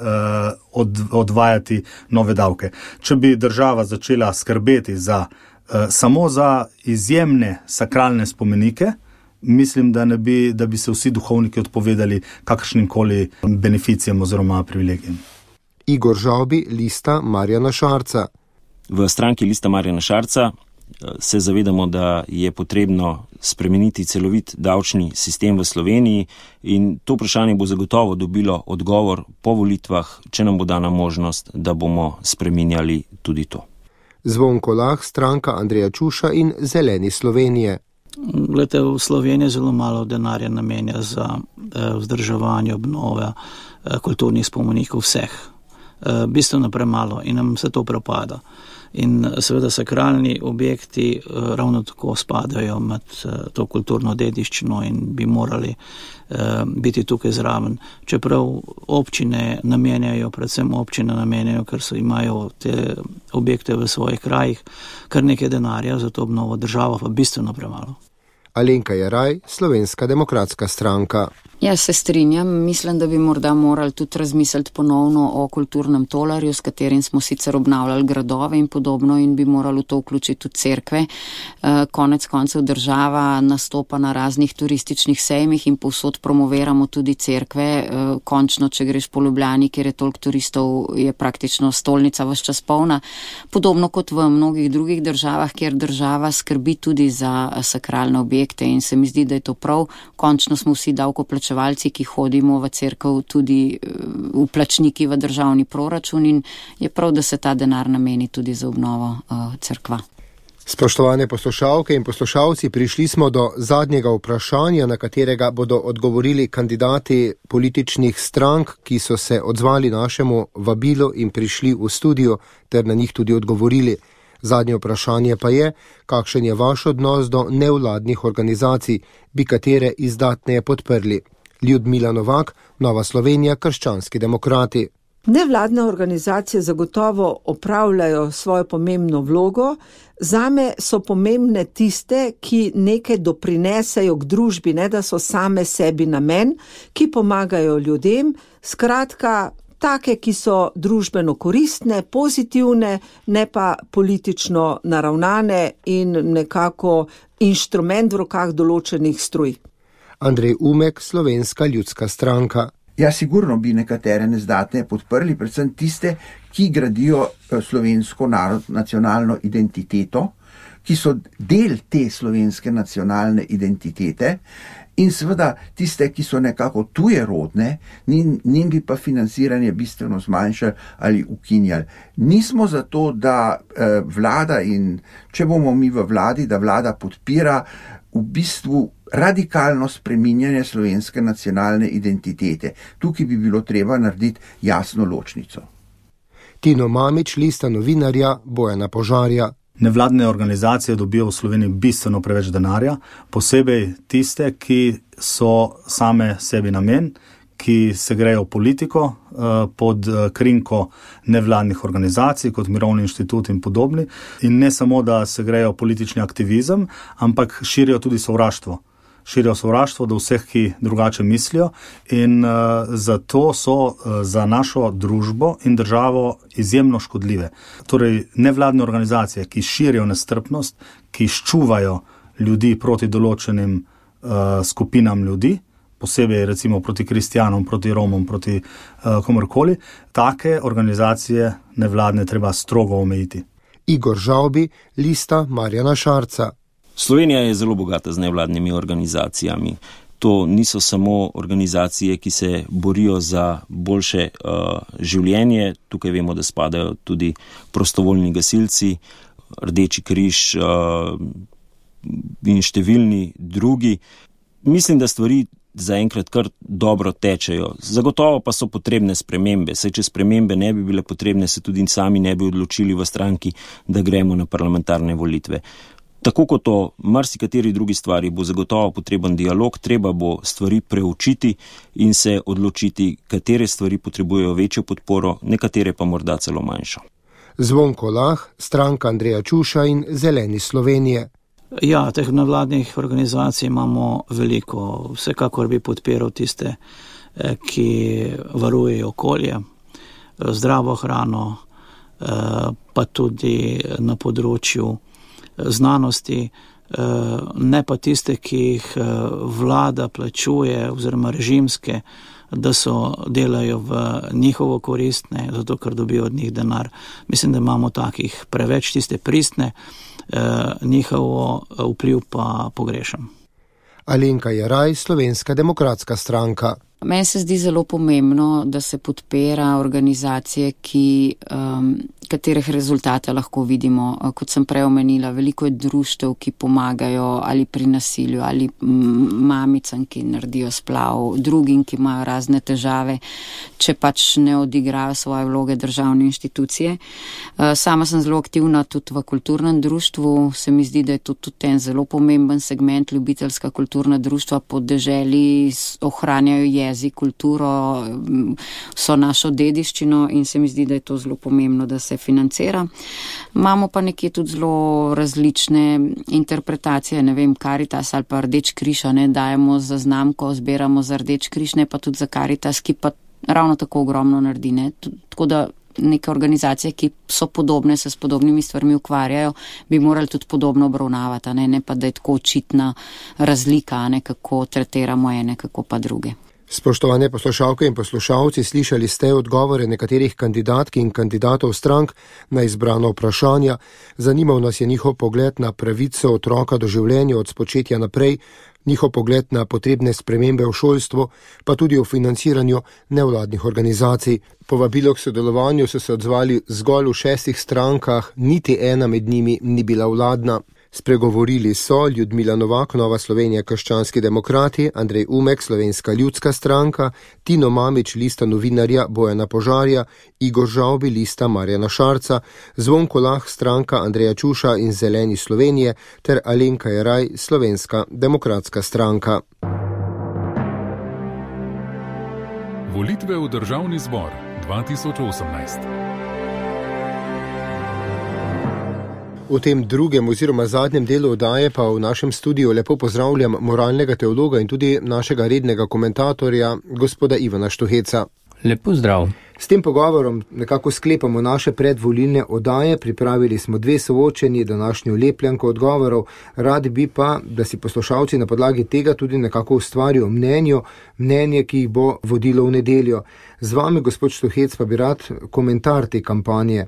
od, odvajati nove davke. Če bi država začela skrbeti za, uh, samo za izjemne sakralne spomenike, mislim, da, ne bi, da bi se vsi duhovniki odpovedali kakršnikoli beneficijam oziroma privilegijem. Igor Žavbi, Lista Marjana Šarca. V stranki Lista Marjana Šarca se zavedamo, da je potrebno spremeniti celovit davčni sistem v Sloveniji in to vprašanje bo zagotovo dobilo odgovor po volitvah, če nam bo dana možnost, da bomo spreminjali tudi to. Zvonko Lah, stranka Andreja Čuša in Zeleni Slovenije. Glede, v Sloveniji zelo malo denarja namenja za eh, vzdrževanje obnove eh, kulturnih spomenikov vseh. Eh, bistveno premalo in nam se to propada. In seveda sakralni objekti eh, ravno tako spadajo med eh, to kulturno dediščino in bi morali eh, biti tukaj zraven. Čeprav občine namenjajo, predvsem občine namenjajo, ker so imajo te objekte v svojih krajih, kar nekaj denarja za to obnovo, država pa bistveno premalo. Alenka Jeraj, Slovenska demokratska stranka. Ja, se strinjam. Mislim, da bi morda morali tudi razmisliti ponovno o kulturnem tolarju, s katerim smo sicer obnavljali gradove in podobno in bi morali to vključiti tudi cerkve. Konec koncev država nastopa na raznih turističnih sejmih in povsod promoviramo tudi cerkve. Končno, če greš po Ljubljani, kjer je toliko turistov, je praktično stolnica ves čas polna. Podobno kot v mnogih drugih državah, kjer država skrbi tudi za sakralne objekte in se mi zdi, da je to prav. Končno smo vsi davkoplačevalci, ki hodimo v cerkev, tudi vplačniki v državni proračun in je prav, da se ta denar nameni tudi za obnovo uh, cerkva. Spoštovane poslušalke in poslušalci, prišli smo do zadnjega vprašanja, na katerega bodo odgovorili kandidati političnih strank, ki so se odzvali našemu vabilu in prišli v studio ter na njih tudi odgovorili. Zadnje vprašanje pa je, kakšen je vaš odnos do nevladnih organizacij, bi katere izdatneje podprli. Ljudmila Novak, Nova Slovenija, Krščanski demokrati. Nevladne organizacije zagotovo opravljajo svojo pomembno vlogo. Zame so pomembne tiste, ki nekaj doprinesejo k družbi, ne da so same sebi namen, ki pomagajo ljudem. Skratka, take, ki so družbeno koristne, pozitivne, ne pa politično naravnane in nekako inštrument v rokah določenih struj. Andrej Umek, Slovenska ljudska stranka. Ja, sigurno bi nekatere nezdatne podprli, predvsem tiste, ki gradijo slovensko narod, nacionalno identiteto, ki so del te slovenske nacionalne identitete in seveda tiste, ki so nekako tujerodne, njim bi pa financiranje bistveno zmanjšali ali ukinjali. Nismo zato, da eh, vlada in če bomo mi v vladi, da vlada podpira v bistvu radikalno spreminjanje slovenske nacionalne identitete. Tukaj bi bilo treba narediti jasno ločnico. Tino Mamić, Lista novinarja Bojana Požarja. Nevladne organizacije dobijo v Sloveniji bistveno preveč denarja, posebej tiste, ki so same sebi namen, ki se grejo politiko pod krinko nevladnih organizacij, kot Mirovni inštitut in podobni. In ne samo, da se grejo politični aktivizem, ampak širijo tudi sovraštvo. Širijo sovraštvo do vseh, ki drugače mislijo in uh, zato so uh, za našo družbo in državo izjemno škodljive. Torej, nevladne organizacije, ki širijo nestrpnost, ki ščuvajo ljudi proti določenim uh, skupinam ljudi, posebej recimo proti kristjanom, proti Romom, proti uh, komorkoli, take organizacije nevladne treba strogo omejiti. Igor Žavbi, Lista Marjana Šarca. Slovenija je zelo bogata z nevladnimi organizacijami. To niso samo organizacije, ki se borijo za boljše uh, življenje. Tukaj vemo, da spadajo tudi prostovoljni gasilci, Rdeči križ uh, in številni drugi. Mislim, da stvari zaenkrat kar dobro tečejo. Zagotovo pa so potrebne spremembe. Saj, če spremembe ne bi bile potrebne, se tudi sami ne bi odločili v stranki, da gremo na parlamentarne volitve. Tako kot o marsikateri drugi stvari bo zagotovo potreben dialog, treba bo stvari preučiti in se odločiti, katere stvari potrebujejo večjo podporo, nekatere pa morda celo manjšo. Zvonko Lah, stranka Andreja Čuša in Zeleni Slovenije. Ja, teh nevladnih organizacij imamo veliko. Vsekakor bi podpiral tiste, ki varujejo okolje, zdravo hrano, pa tudi na področju znanosti, ne pa tiste, ki jih vlada plačuje oziroma režimske, da so delajo v njihovo koristne, zato ker dobijo od njih denar. Mislim, da imamo takih preveč, tiste pristne, njihovo vpliv pa pogrešam. Alenka Jeraj, Slovenska demokratska stranka. Meni se zdi zelo pomembno, da se podpira organizacije, ki, um, katerih rezultate lahko vidimo. Kot sem prej omenila, veliko je društev, ki pomagajo ali pri nasilju, ali mamicam, ki naredijo splav, drugim, ki imajo razne težave, če pač ne odigrajo svoje vloge državne inštitucije. Sama sem zelo aktivna tudi v kulturnem društvu. Se mi zdi, da je to tudi en zelo pomemben segment. Ljubiteljska kulturna društva po deželi ohranjajo jezik, kulturo, vso našo dediščino in se mi zdi, da je to zelo pomembno, da se financira. Imamo pa nekje tudi zelo različne interpretacije, ne vem, Karitas ali pa Rdeč križ, ne dajemo za znamko, zbiramo za Rdeč križ, ne pa tudi za Karitas, ki pa ravno tako ogromno naredi, ne. Tako da neke organizacije, ki so podobne, se s podobnimi stvarmi ukvarjajo, bi morali tudi podobno obravnavati, ne, ne pa da je tako očitna razlika, ne, kako tretiramo ene, kako pa druge. Spoštovane poslušalke in poslušalci, slišali ste odgovore nekaterih kandidatk in kandidatov strank na izbrano vprašanja. Zanimal nas je njihov pogled na pravico otroka do življenja od spočetja naprej, njihov pogled na potrebne spremembe v šolstvu, pa tudi o financiranju nevladnih organizacij. Povabilo k sodelovanju so se odzvali zgolj v šestih strankah, niti ena med njimi ni bila vladna. Spregovorili so Ljudmila Novak, Nova Slovenija, Krščanski demokrati, Andrej Umek, Slovenska ljudska stranka, Tino Mamić, Lista novinarja Bojana Požarja, Igor Žavbi, Lista Marjana Šarca, Zvonko Lah, stranka Andreja Čuša in Zeleni Slovenije ter Alenka Jeraj, Slovenska demokratska stranka. Volitve v Državni zbor dva tisoč osemnajst. V tem drugem oziroma zadnjem delu oddaje pa v našem studiu lepo pozdravljam moralnega teologa in tudi našega rednega komentatorja, gospoda Ivana Štuheca. Lepo zdrav. S tem pogovorom nekako sklepamo naše predvolilne oddaje, pripravili smo dve soočeni, današnjo lepljanko odgovorov, radi bi pa, da si poslušalci na podlagi tega tudi nekako ustvarijo mnenje, mnenje, ki jih bo vodilo v nedeljo. Z vami, gospod Štuhec, pa bi rad komentar te kampanje.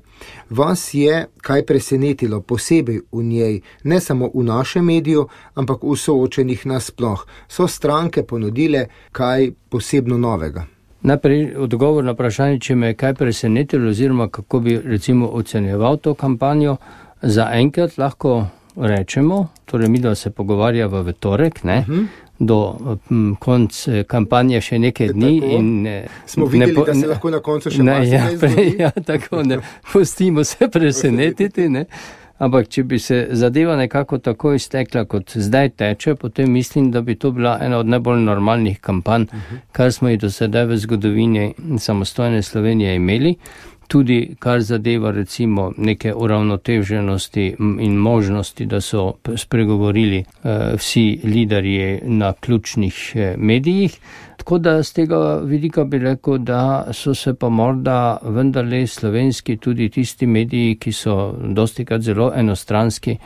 Vas je kaj presenetilo posebej v njej, ne samo v našem mediju, ampak v soočenih nasploh? So stranke ponudile kaj posebno novega? Najprej odgovor na vprašanje, če me je kaj presenetilo oziroma kako bi recimo ocenjeval to kampanjo. Za enkrat lahko rečemo, torej mi da se pogovarjava v torek, ne, uh-huh. do m, konc kampanje še nekaj dni. In, Smo videli, ne po, da se lahko na koncu še ne, ja, marsikaj ja, tako ne, pustimo se presenetiti, ne. Ampak če bi se zadeva nekako tako iztekla, kot zdaj teče, potem mislim, da bi to bila ena od najbolj normalnih kampanj, uh-huh. kar smo jih do sedaj v zgodovini samostojne Slovenije imeli. Tudi kar zadeva recimo neke uravnoteženosti in možnosti, da so spregovorili uh, vsi liderji na ključnih uh, medijih. Tako da z tega vidika bi rekel, da so se pa morda vendarle slovenski tudi tisti mediji, ki so dostikrat zelo enostranski,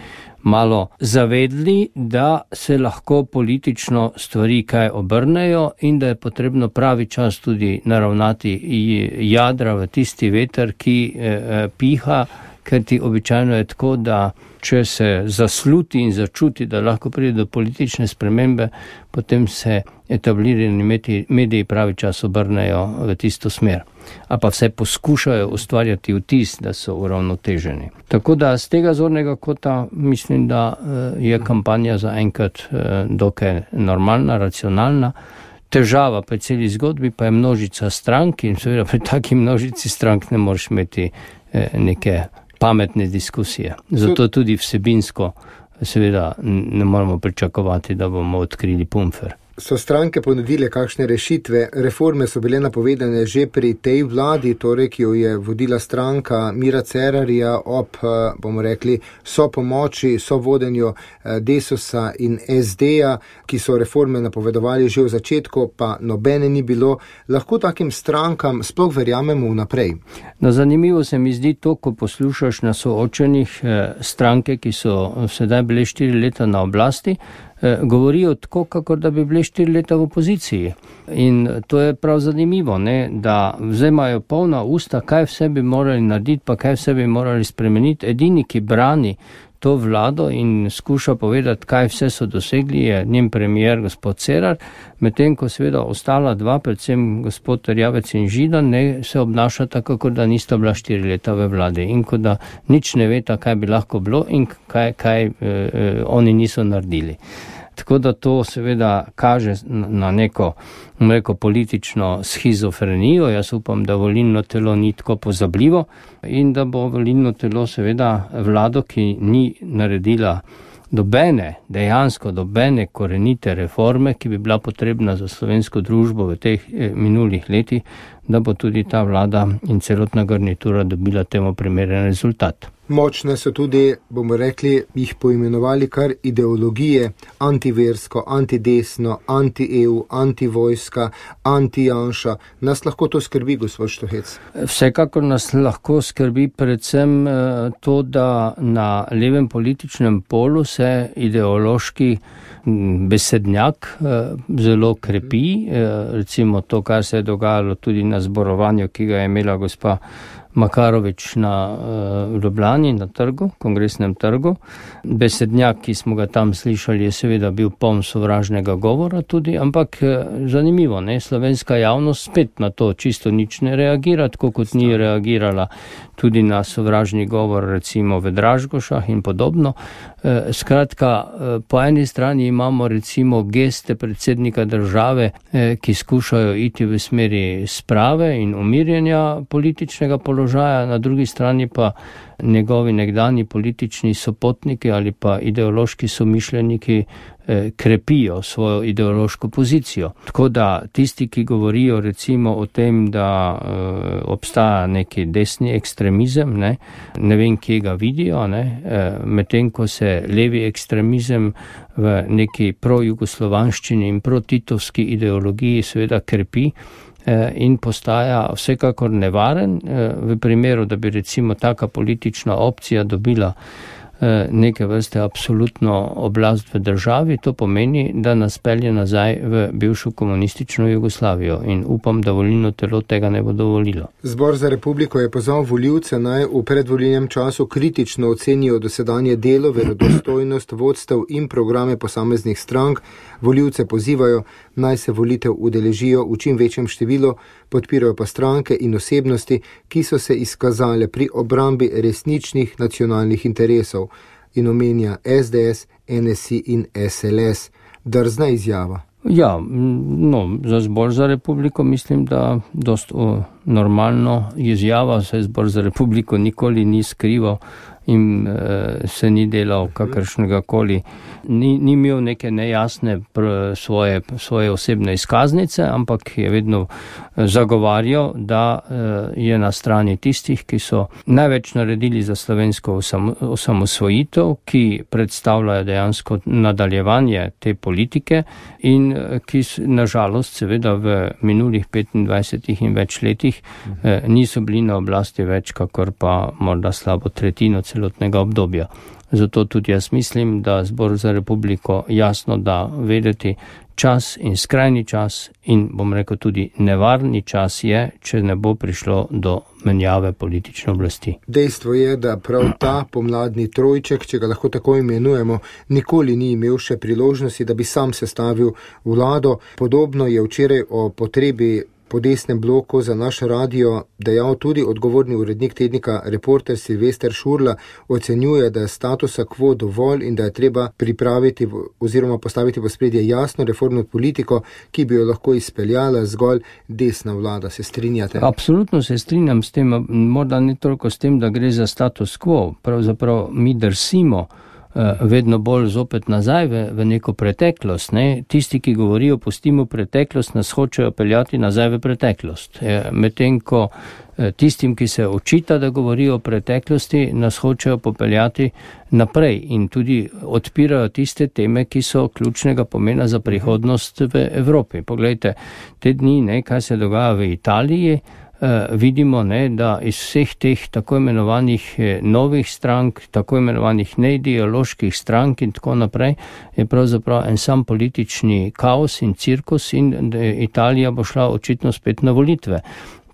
malo zavedli, da se lahko politično stvari kaj obrnejo in da je potrebno pravi čas tudi naravnati jadra v tisti veter, ki eh, piha, ker ti običajno je tako, da če se zasluti in začuti, da lahko pride do politične spremembe, potem se etablirani mediji pravi čas obrnejo v tisto smer. A pa vse poskušajo ustvarjati vtis, da so uravnoteženi. Tako da z tega zornega kota mislim, da je kampanja za enkrat dokaj normalna, racionalna. Težava pri celi zgodbi pa je množica strank in seveda pri taki množici strank ne moreš imeti neke pametne diskusije. Zato tudi vsebinsko seveda ne moramo pričakovati, da bomo odkrili pumfer. So stranke ponudile kakšne rešitve? Reforme so bile napovedane že pri tej vladi, torej, ki jo je vodila stranka Mira Cerarja ob, bomo rekli, so pomoči, so vodenju Desusa in es de-ja, ki so reforme napovedovali že v začetku, pa nobene ni bilo. Lahko takim strankam sploh verjamemo vnaprej? No, zanimivo se mi zdi to, ko poslušaš na soočenih stranke, ki so sedaj bile štiri leta na oblasti, govorijo tako, kakor da bi bili štiri leta v opoziciji. In to je prav zanimivo, ne? Da vzemajo polna usta, kaj vse bi morali narediti, pa kaj vse bi morali spremeniti. Edini, ki brani to vlado in skuša povedati, kaj vse so dosegli, je njen premier gospod Cerar, medtem ko seveda ostala dva, predvsem gospod Erjavec in Židan, ne, se obnaša tako, kot da nista bila štiri leta v vladi in kot da nič ne veta, kaj bi lahko bilo in kaj, kaj eh, oni niso naredili. Tako da to seveda kaže na neko, neko politično schizofrenijo. Jaz upam, da volilno telo ni tako pozabljivo in da bo volilno telo seveda vlado, ki ni naredila dobene, dejansko dobene korenite reforme, ki bi bila potrebna za slovensko družbo v teh minulih letih, da bo tudi ta vlada in celotna garnitura dobila temu primeren rezultat. Močne so tudi, bomo rekli, jih poimenovali kar ideologije, antiversko, antidesno, anti-E U, antivojska, anti-Janša. Nas lahko to skrbi, gospod Štuhec? Vsekakor nas lahko skrbi predvsem to, da na levem političnem polu se ideološki besednjak zelo krepi. Recimo to, kar se je dogajalo tudi na zborovanju, ki ga je imela gospa Makarovič na uh, Ljubljani, na trgu, kongresnem trgu. Besednjak, ki smo ga tam slišali, je seveda bil poln sovražnega govora tudi, ampak zanimivo, ne, slovenska javnost spet na to čisto nič ne reagira, tako kot ni reagirala tudi na sovražni govor recimo v Dražgošah in podobno. E, skratka, po eni strani imamo recimo geste predsednika države, e, ki skušajo iti v smeri sprave in umirjenja političnega položaja, položaja, na drugi strani pa njegovi nekdani politični sopotniki ali pa ideološki somišljeniki krepijo svojo ideološko pozicijo. Tako da tisti, ki govorijo recimo o tem, da e, obstaja neki desni ekstremizem, ne, ne vem, kje ga vidijo, ne, e, medtem ko se levi ekstremizem v neki projugoslovanščini in protitovski ideologiji seveda krepi e, in postaja vsekakor nevaren, e, v primeru, da bi recimo taka politična opcija dobila neke vrste absolutno oblast v državi, to pomeni, da nas pelje nazaj v bivšo komunistično Jugoslavijo in upam, da volilno telo tega ne bo dovolilo. Zbor za republiko je pozval volivce naj v predvolilnem času kritično ocenijo dosedanje delo, verodostojnost, vodstev in programe posameznih strank. Volivce pozivajo naj se volitev udeležijo v čim večjem številu, podpirajo pa stranke in osebnosti, ki so se izkazale pri obrambi resničnih nacionalnih interesov, in omenja es de es, en es i in es el es. Drzna izjava. Ja, no, za Zbor za republiko mislim, da dost o, normalno izjava, saj Zbor za republiko nikoli ni skrival in e, se ni delal kakršnega koli, ni, ni imel neke nejasne pr, svoje, svoje osebne izkaznice, ampak je vedno zagovarjal, da e, je na strani tistih, ki so največ naredili za slovensko osam, osamosvojitev, ki predstavljajo dejansko nadaljevanje te politike in ki nažalost seveda v minulih petindvajsetih in več letih e, niso bili na oblasti več, kakor pa morda slabo tretjino celotnega obdobja. Zato tudi jaz mislim, da Zbor za republiko jasno da vedeti, čas in skrajni čas in bom rekel tudi nevarni čas je, če ne bo prišlo do menjave politične oblasti. Dejstvo je, da prav ta pomladni trojček, če ga lahko tako imenujemo, nikoli ni imel še priložnosti, da bi sam sestavil vlado. Podobno je včeraj o potrebi po desnem bloku za naš radio dejal tudi odgovorni urednik tednika Reporter Silvester Šurla, ocenjuje, da je statusa quo dovolj in da je treba pripraviti oziroma postaviti v ospredje jasno reformno politiko, ki bi jo lahko izpeljala zgolj desna vlada. Se strinjate? Absolutno se strinjam s tem, morda ne toliko s tem, da gre za status quo. Pravzaprav mi drsimo vedno bolj zopet nazaj v, v neko preteklost. Ne? Tisti, ki govorijo, pustimo preteklost, nas hočejo peljati nazaj v preteklost. Medtem ko tistim, ki se očita, da govorijo o preteklosti, nas hočejo popeljati naprej in tudi odpirajo tiste teme, ki so ključnega pomena za prihodnost v Evropi. Poglejte, te dni, ne, kaj se dogaja v Italiji, Uh, vidimo, ne, da iz vseh teh tako imenovanih eh, novih strank, tako imenovanih neideoloških strank in tako naprej, je pravzaprav en sam politični kaos in cirkus in Italija bo šla očitno spet na volitve.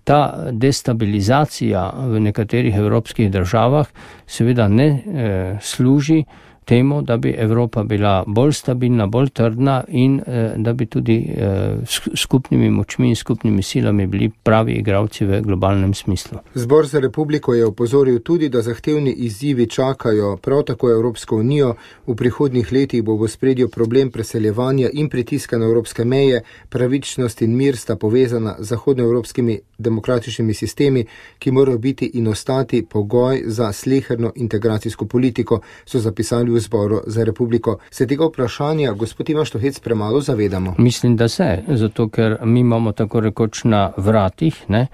Ta destabilizacija v nekaterih evropskih državah seveda ne eh, služi temu, da bi Evropa bila bolj stabilna, bolj trdna in eh, da bi tudi eh, skupnimi močmi in skupnimi silami bili pravi igralci v globalnem smislu. Zbor za republiko je opozoril tudi, da zahtevni izzivi čakajo prav tako Evropsko unijo. V prihodnjih letih bo v ospredju problem preseljevanja in pritiska na evropske meje. Pravičnost in mir sta povezana z zahodnoevropskimi demokratičnimi sistemi, ki morajo biti in ostati pogoj za sleherno integracijsko politiko, so zapisali v Zboru za republiko. Se tega vprašanja, gospod Ivan Štuhec, premalo zavedamo? Mislim, da se, zato ker mi imamo tako rekoč na vratih, ne,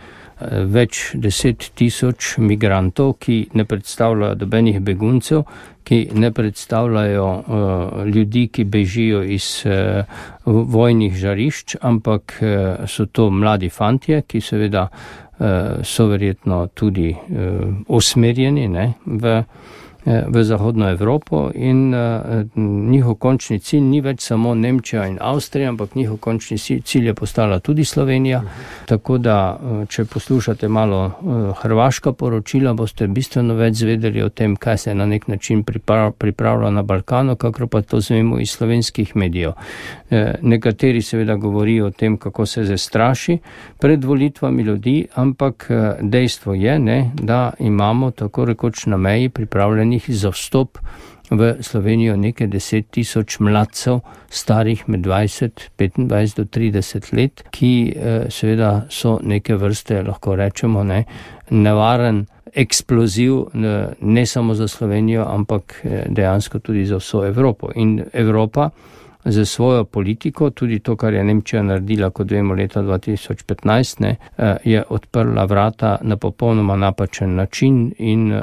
več deset tisoč migrantov, ki ne predstavljajo dobenih beguncev, ki ne predstavljajo uh, ljudi, ki bežijo iz uh, vojnih žarišč, ampak uh, so to mladi fantje, ki seveda uh, so verjetno tudi uh, usmerjeni, ne, v v Zahodno Evropo in uh, njihov končni cilj ni več samo Nemčija in Avstrija, ampak njihov končni cilj je postala tudi Slovenija. Uh-huh. Tako da, uh, če poslušate malo uh, hrvaška poročila, boste bistveno več zvedeli o tem, kaj se na nek način priprav, pripravlja na Balkanu, kakor pa to zvemo iz slovenskih medijev. Uh, nekateri seveda govorijo o tem, kako se zastraši pred volitvami ljudi, ampak uh, dejstvo je, ne, da imamo tako rekoč na meji pripravljeni zaprosjenih za vstop v Slovenijo nekaj deset tisoč mladcev, starih med dvajset, petindvajset do trideset let, ki seveda so neke vrste, lahko rečemo, ne, nevaren eksploziv ne samo za Slovenijo, ampak dejansko tudi za vso Evropo. In Evropa za svojo politiko, tudi to, kar je Nemčija naredila, kot vemo, leta dva tisoč petnajst, ne, je odprla vrata na popolnoma napačen način in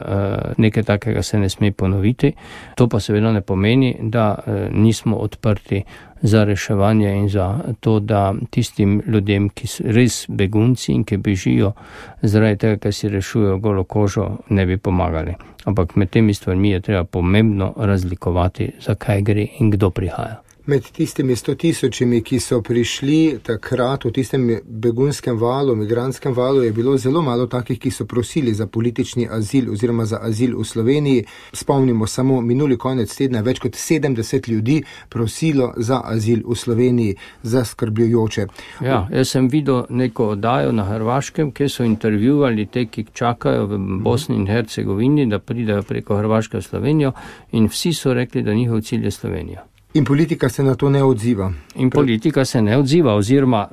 nekaj takega se ne sme ponoviti. To pa seveda ne pomeni, da nismo odprti za reševanje in za to, da tistim ljudem, ki so res begunci in ki bežijo zaradi tega, ker si rešujejo golo kožo, ne bi pomagali. Ampak med temi stvarmi je treba pomembno razlikovati, zakaj gre in kdo prihaja. Med tistimi sto tisočimi, ki so prišli takrat v tistem begunskem valu, migrantskem valu, je bilo zelo malo takih, ki so prosili za politični azil oziroma za azil v Sloveniji. Spomnimo samo minuli konec tedna, več kot sedemdeset ljudi prosilo za azil v Sloveniji, zaskrbljujoče. Ja, jaz sem videl neko oddajo na Hrvaškem, kjer so intervjuvali te, ki čakajo v Bosni in Hercegovini, da pridejo preko Hrvaške v Slovenijo, in vsi so rekli, da njihov cilj je Slovenija. In politika se na to ne odziva. In politika se ne odziva, oziroma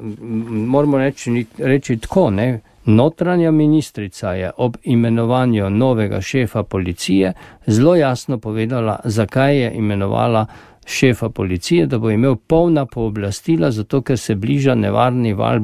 moramo reči, reči tako, ne, notranja ministrica je ob imenovanju novega šefa policije zelo jasno povedala, zakaj je imenovala šefa policije, da bo imel polna pooblastila, zato ker se bliža nevarni val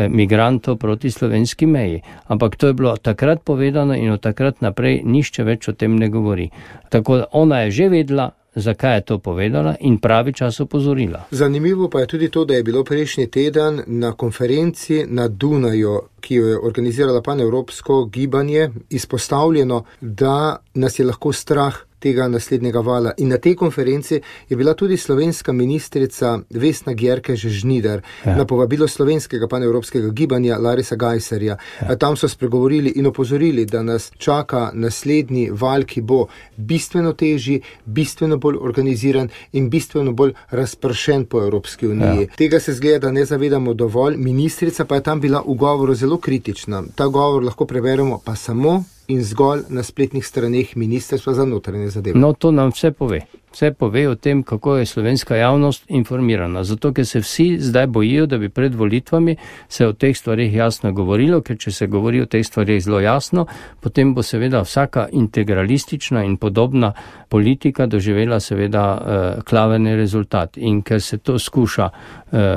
migrantov proti slovenski meji. Ampak to je bilo takrat povedano in od takrat naprej nišče več o tem ne govori. Tako da ona je že vedela, zakaj je to povedala in pravi čas opozorila. Zanimivo pa je tudi to, da je bilo prejšnji teden na konferenci na Dunaju, ki jo je organizirala panevropsko gibanje, izpostavljeno, da nas je lahko strah tega naslednjega vala. In na tej konferenci je bila tudi slovenska ministrica Vesna Györkös-Žnidar, ja. Na povabilo slovenskega panevropskega gibanja Larisa Gajserja. Ja. Tam so spregovorili in opozorili, da nas čaka naslednji val, ki bo bistveno težji, bistveno bolj organiziran in bistveno bolj razpršen po Evropski uniji. Ja. Tega se zgleda, da ne zavedamo dovolj. Ministrica pa je tam bila v govoru zelo kritična. Ta govor lahko preberemo pa samo in zgolj na spletnih straneh Ministrstva za notranje zadeve. No, to nam vse pove. Vse pove o tem, kako je slovenska javnost informirana. Zato, ker se vsi zdaj bojijo, da bi pred volitvami se o teh stvarih jasno govorilo, ker če se govori o teh stvarih zelo jasno, potem bo seveda vsaka integralistična in podobna politika doživela seveda eh, klaveni rezultat. In ker se to skuša eh,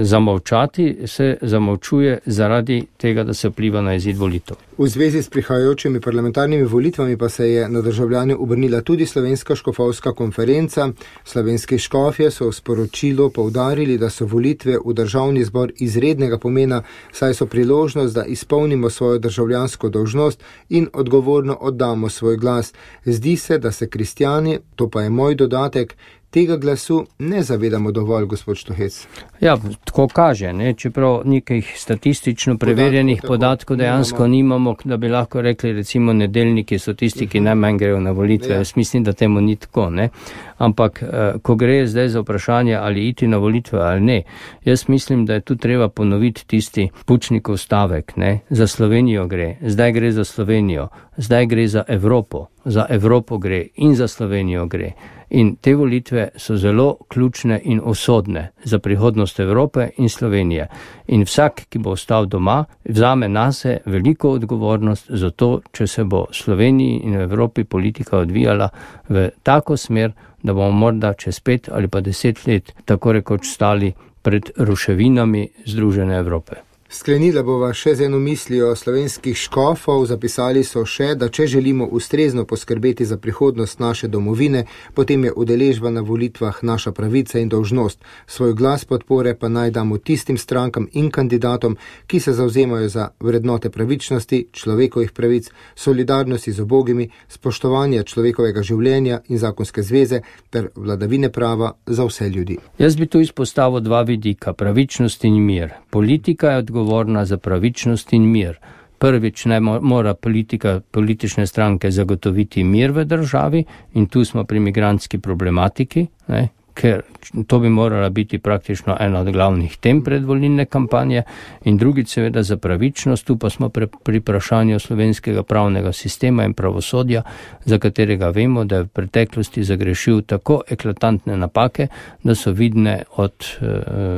zamovčati, se zamovčuje zaradi tega, da se vpliva na izid volitev. V zvezi s prihajajočimi parlamentarnimi volitvami pa se je na državljane obrnila tudi Slovenska škofovska konferenca. Slovenski škofje so v sporočilu poudarili, da so volitve v državni zbor izrednega pomena, saj so priložnost, da izpolnimo svojo državljansko dolžnost in odgovorno oddamo svoj glas. Zdi se, da se kristjani, to pa je moj dodatek, tega glasu ne zavedamo dovolj, gospod Štuhec. Ja, tako kaže, ne? Čeprav nekih statistično preverjenih podatkov, podatkov dejansko nimamo, da bi lahko rekli, recimo nedeljniki so tisti, ki najmanj grejo na volitve. Ja. Jaz mislim, da temu ni tako, ne? Ampak, ko gre zdaj za vprašanje, ali iti na volitve ali ne, jaz mislim, da je tu treba ponoviti tisti Pučnikov stavek, ne? Za Slovenijo gre, zdaj gre za Slovenijo, zdaj gre za Evropo, za Evropo gre in za Slovenijo gre. In te volitve so zelo ključne in usodne za prihodnost Evrope in Slovenije. In vsak, ki bo ostal doma, vzame nase veliko odgovornost za to, če se bo Sloveniji in Evropi politika odvijala v tako smer, da bomo morda čez pet ali pa deset let tako rekoč stali pred ruševinami Združene Evrope. Sklenila bova še z eno mislijo slovenskih škofov. Zapisali so še, da če želimo ustrezno poskrbeti za prihodnost naše domovine, potem je udeležba na volitvah naša pravica in dolžnost. Svoj glas podpore pa naj damo tistim strankam in kandidatom, ki se zavzemajo za vrednote pravičnosti, človekovih pravic, solidarnosti z ubogimi, spoštovanja človekovega življenja in zakonske zveze ter vladavine prava za vse ljudi. Jaz bi tu izpostavil dva vidika, pravičnost in mir. Politika je odgovorna za pravičnost in mir. Prvič naj mora politika, politične stranke zagotoviti mir v državi in tu smo pri migrantski problematiki, ne? ker to bi morala biti praktično ena od glavnih tem predvolilne kampanje, in drugič seveda za pravičnost. Tu pa smo pri, pri vprašanju slovenskega pravnega sistema in pravosodja, za katerega vemo, da je v preteklosti zagrešil tako eklatantne napake, da so vidne od eh,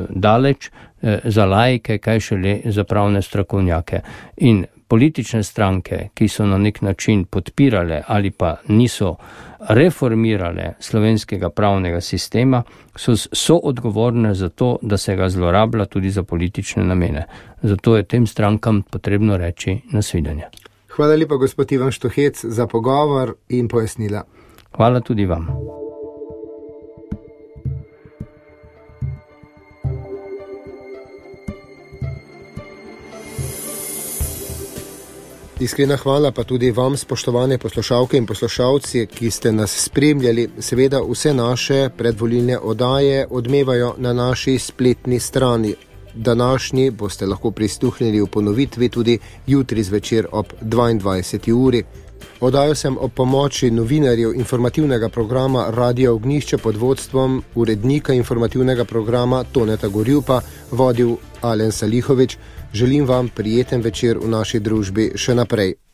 daleč eh, za laike, kaj šele za pravne strokovnjake. In politične stranke, ki so na nek način podpirale ali pa niso reformirale slovenskega pravnega sistema, so, so odgovorne za to, da se ga zlorablja tudi za politične namene. Zato je tem strankam potrebno reči nasvidenje. Hvala lepa, gospod Ivan Štuhec, za pogovor in pojasnila. Hvala tudi vam. Iskrena hvala pa tudi vam, spoštovane poslušalke in poslušalci, ki ste nas spremljali. Seveda vse naše predvolilne oddaje odmevajo na naši spletni strani. Današnji boste lahko prisluhnili v ponovitvi tudi jutri zvečer ob dvaindvajseti uri. Oddajo sem ob pomoči novinarjev informativnega programa Radio Ognjišče pod vodstvom urednika informativnega programa Toneta Gorjupa vodil Alen Salihovič. Želim vam prijeten večer v naši družbi še naprej.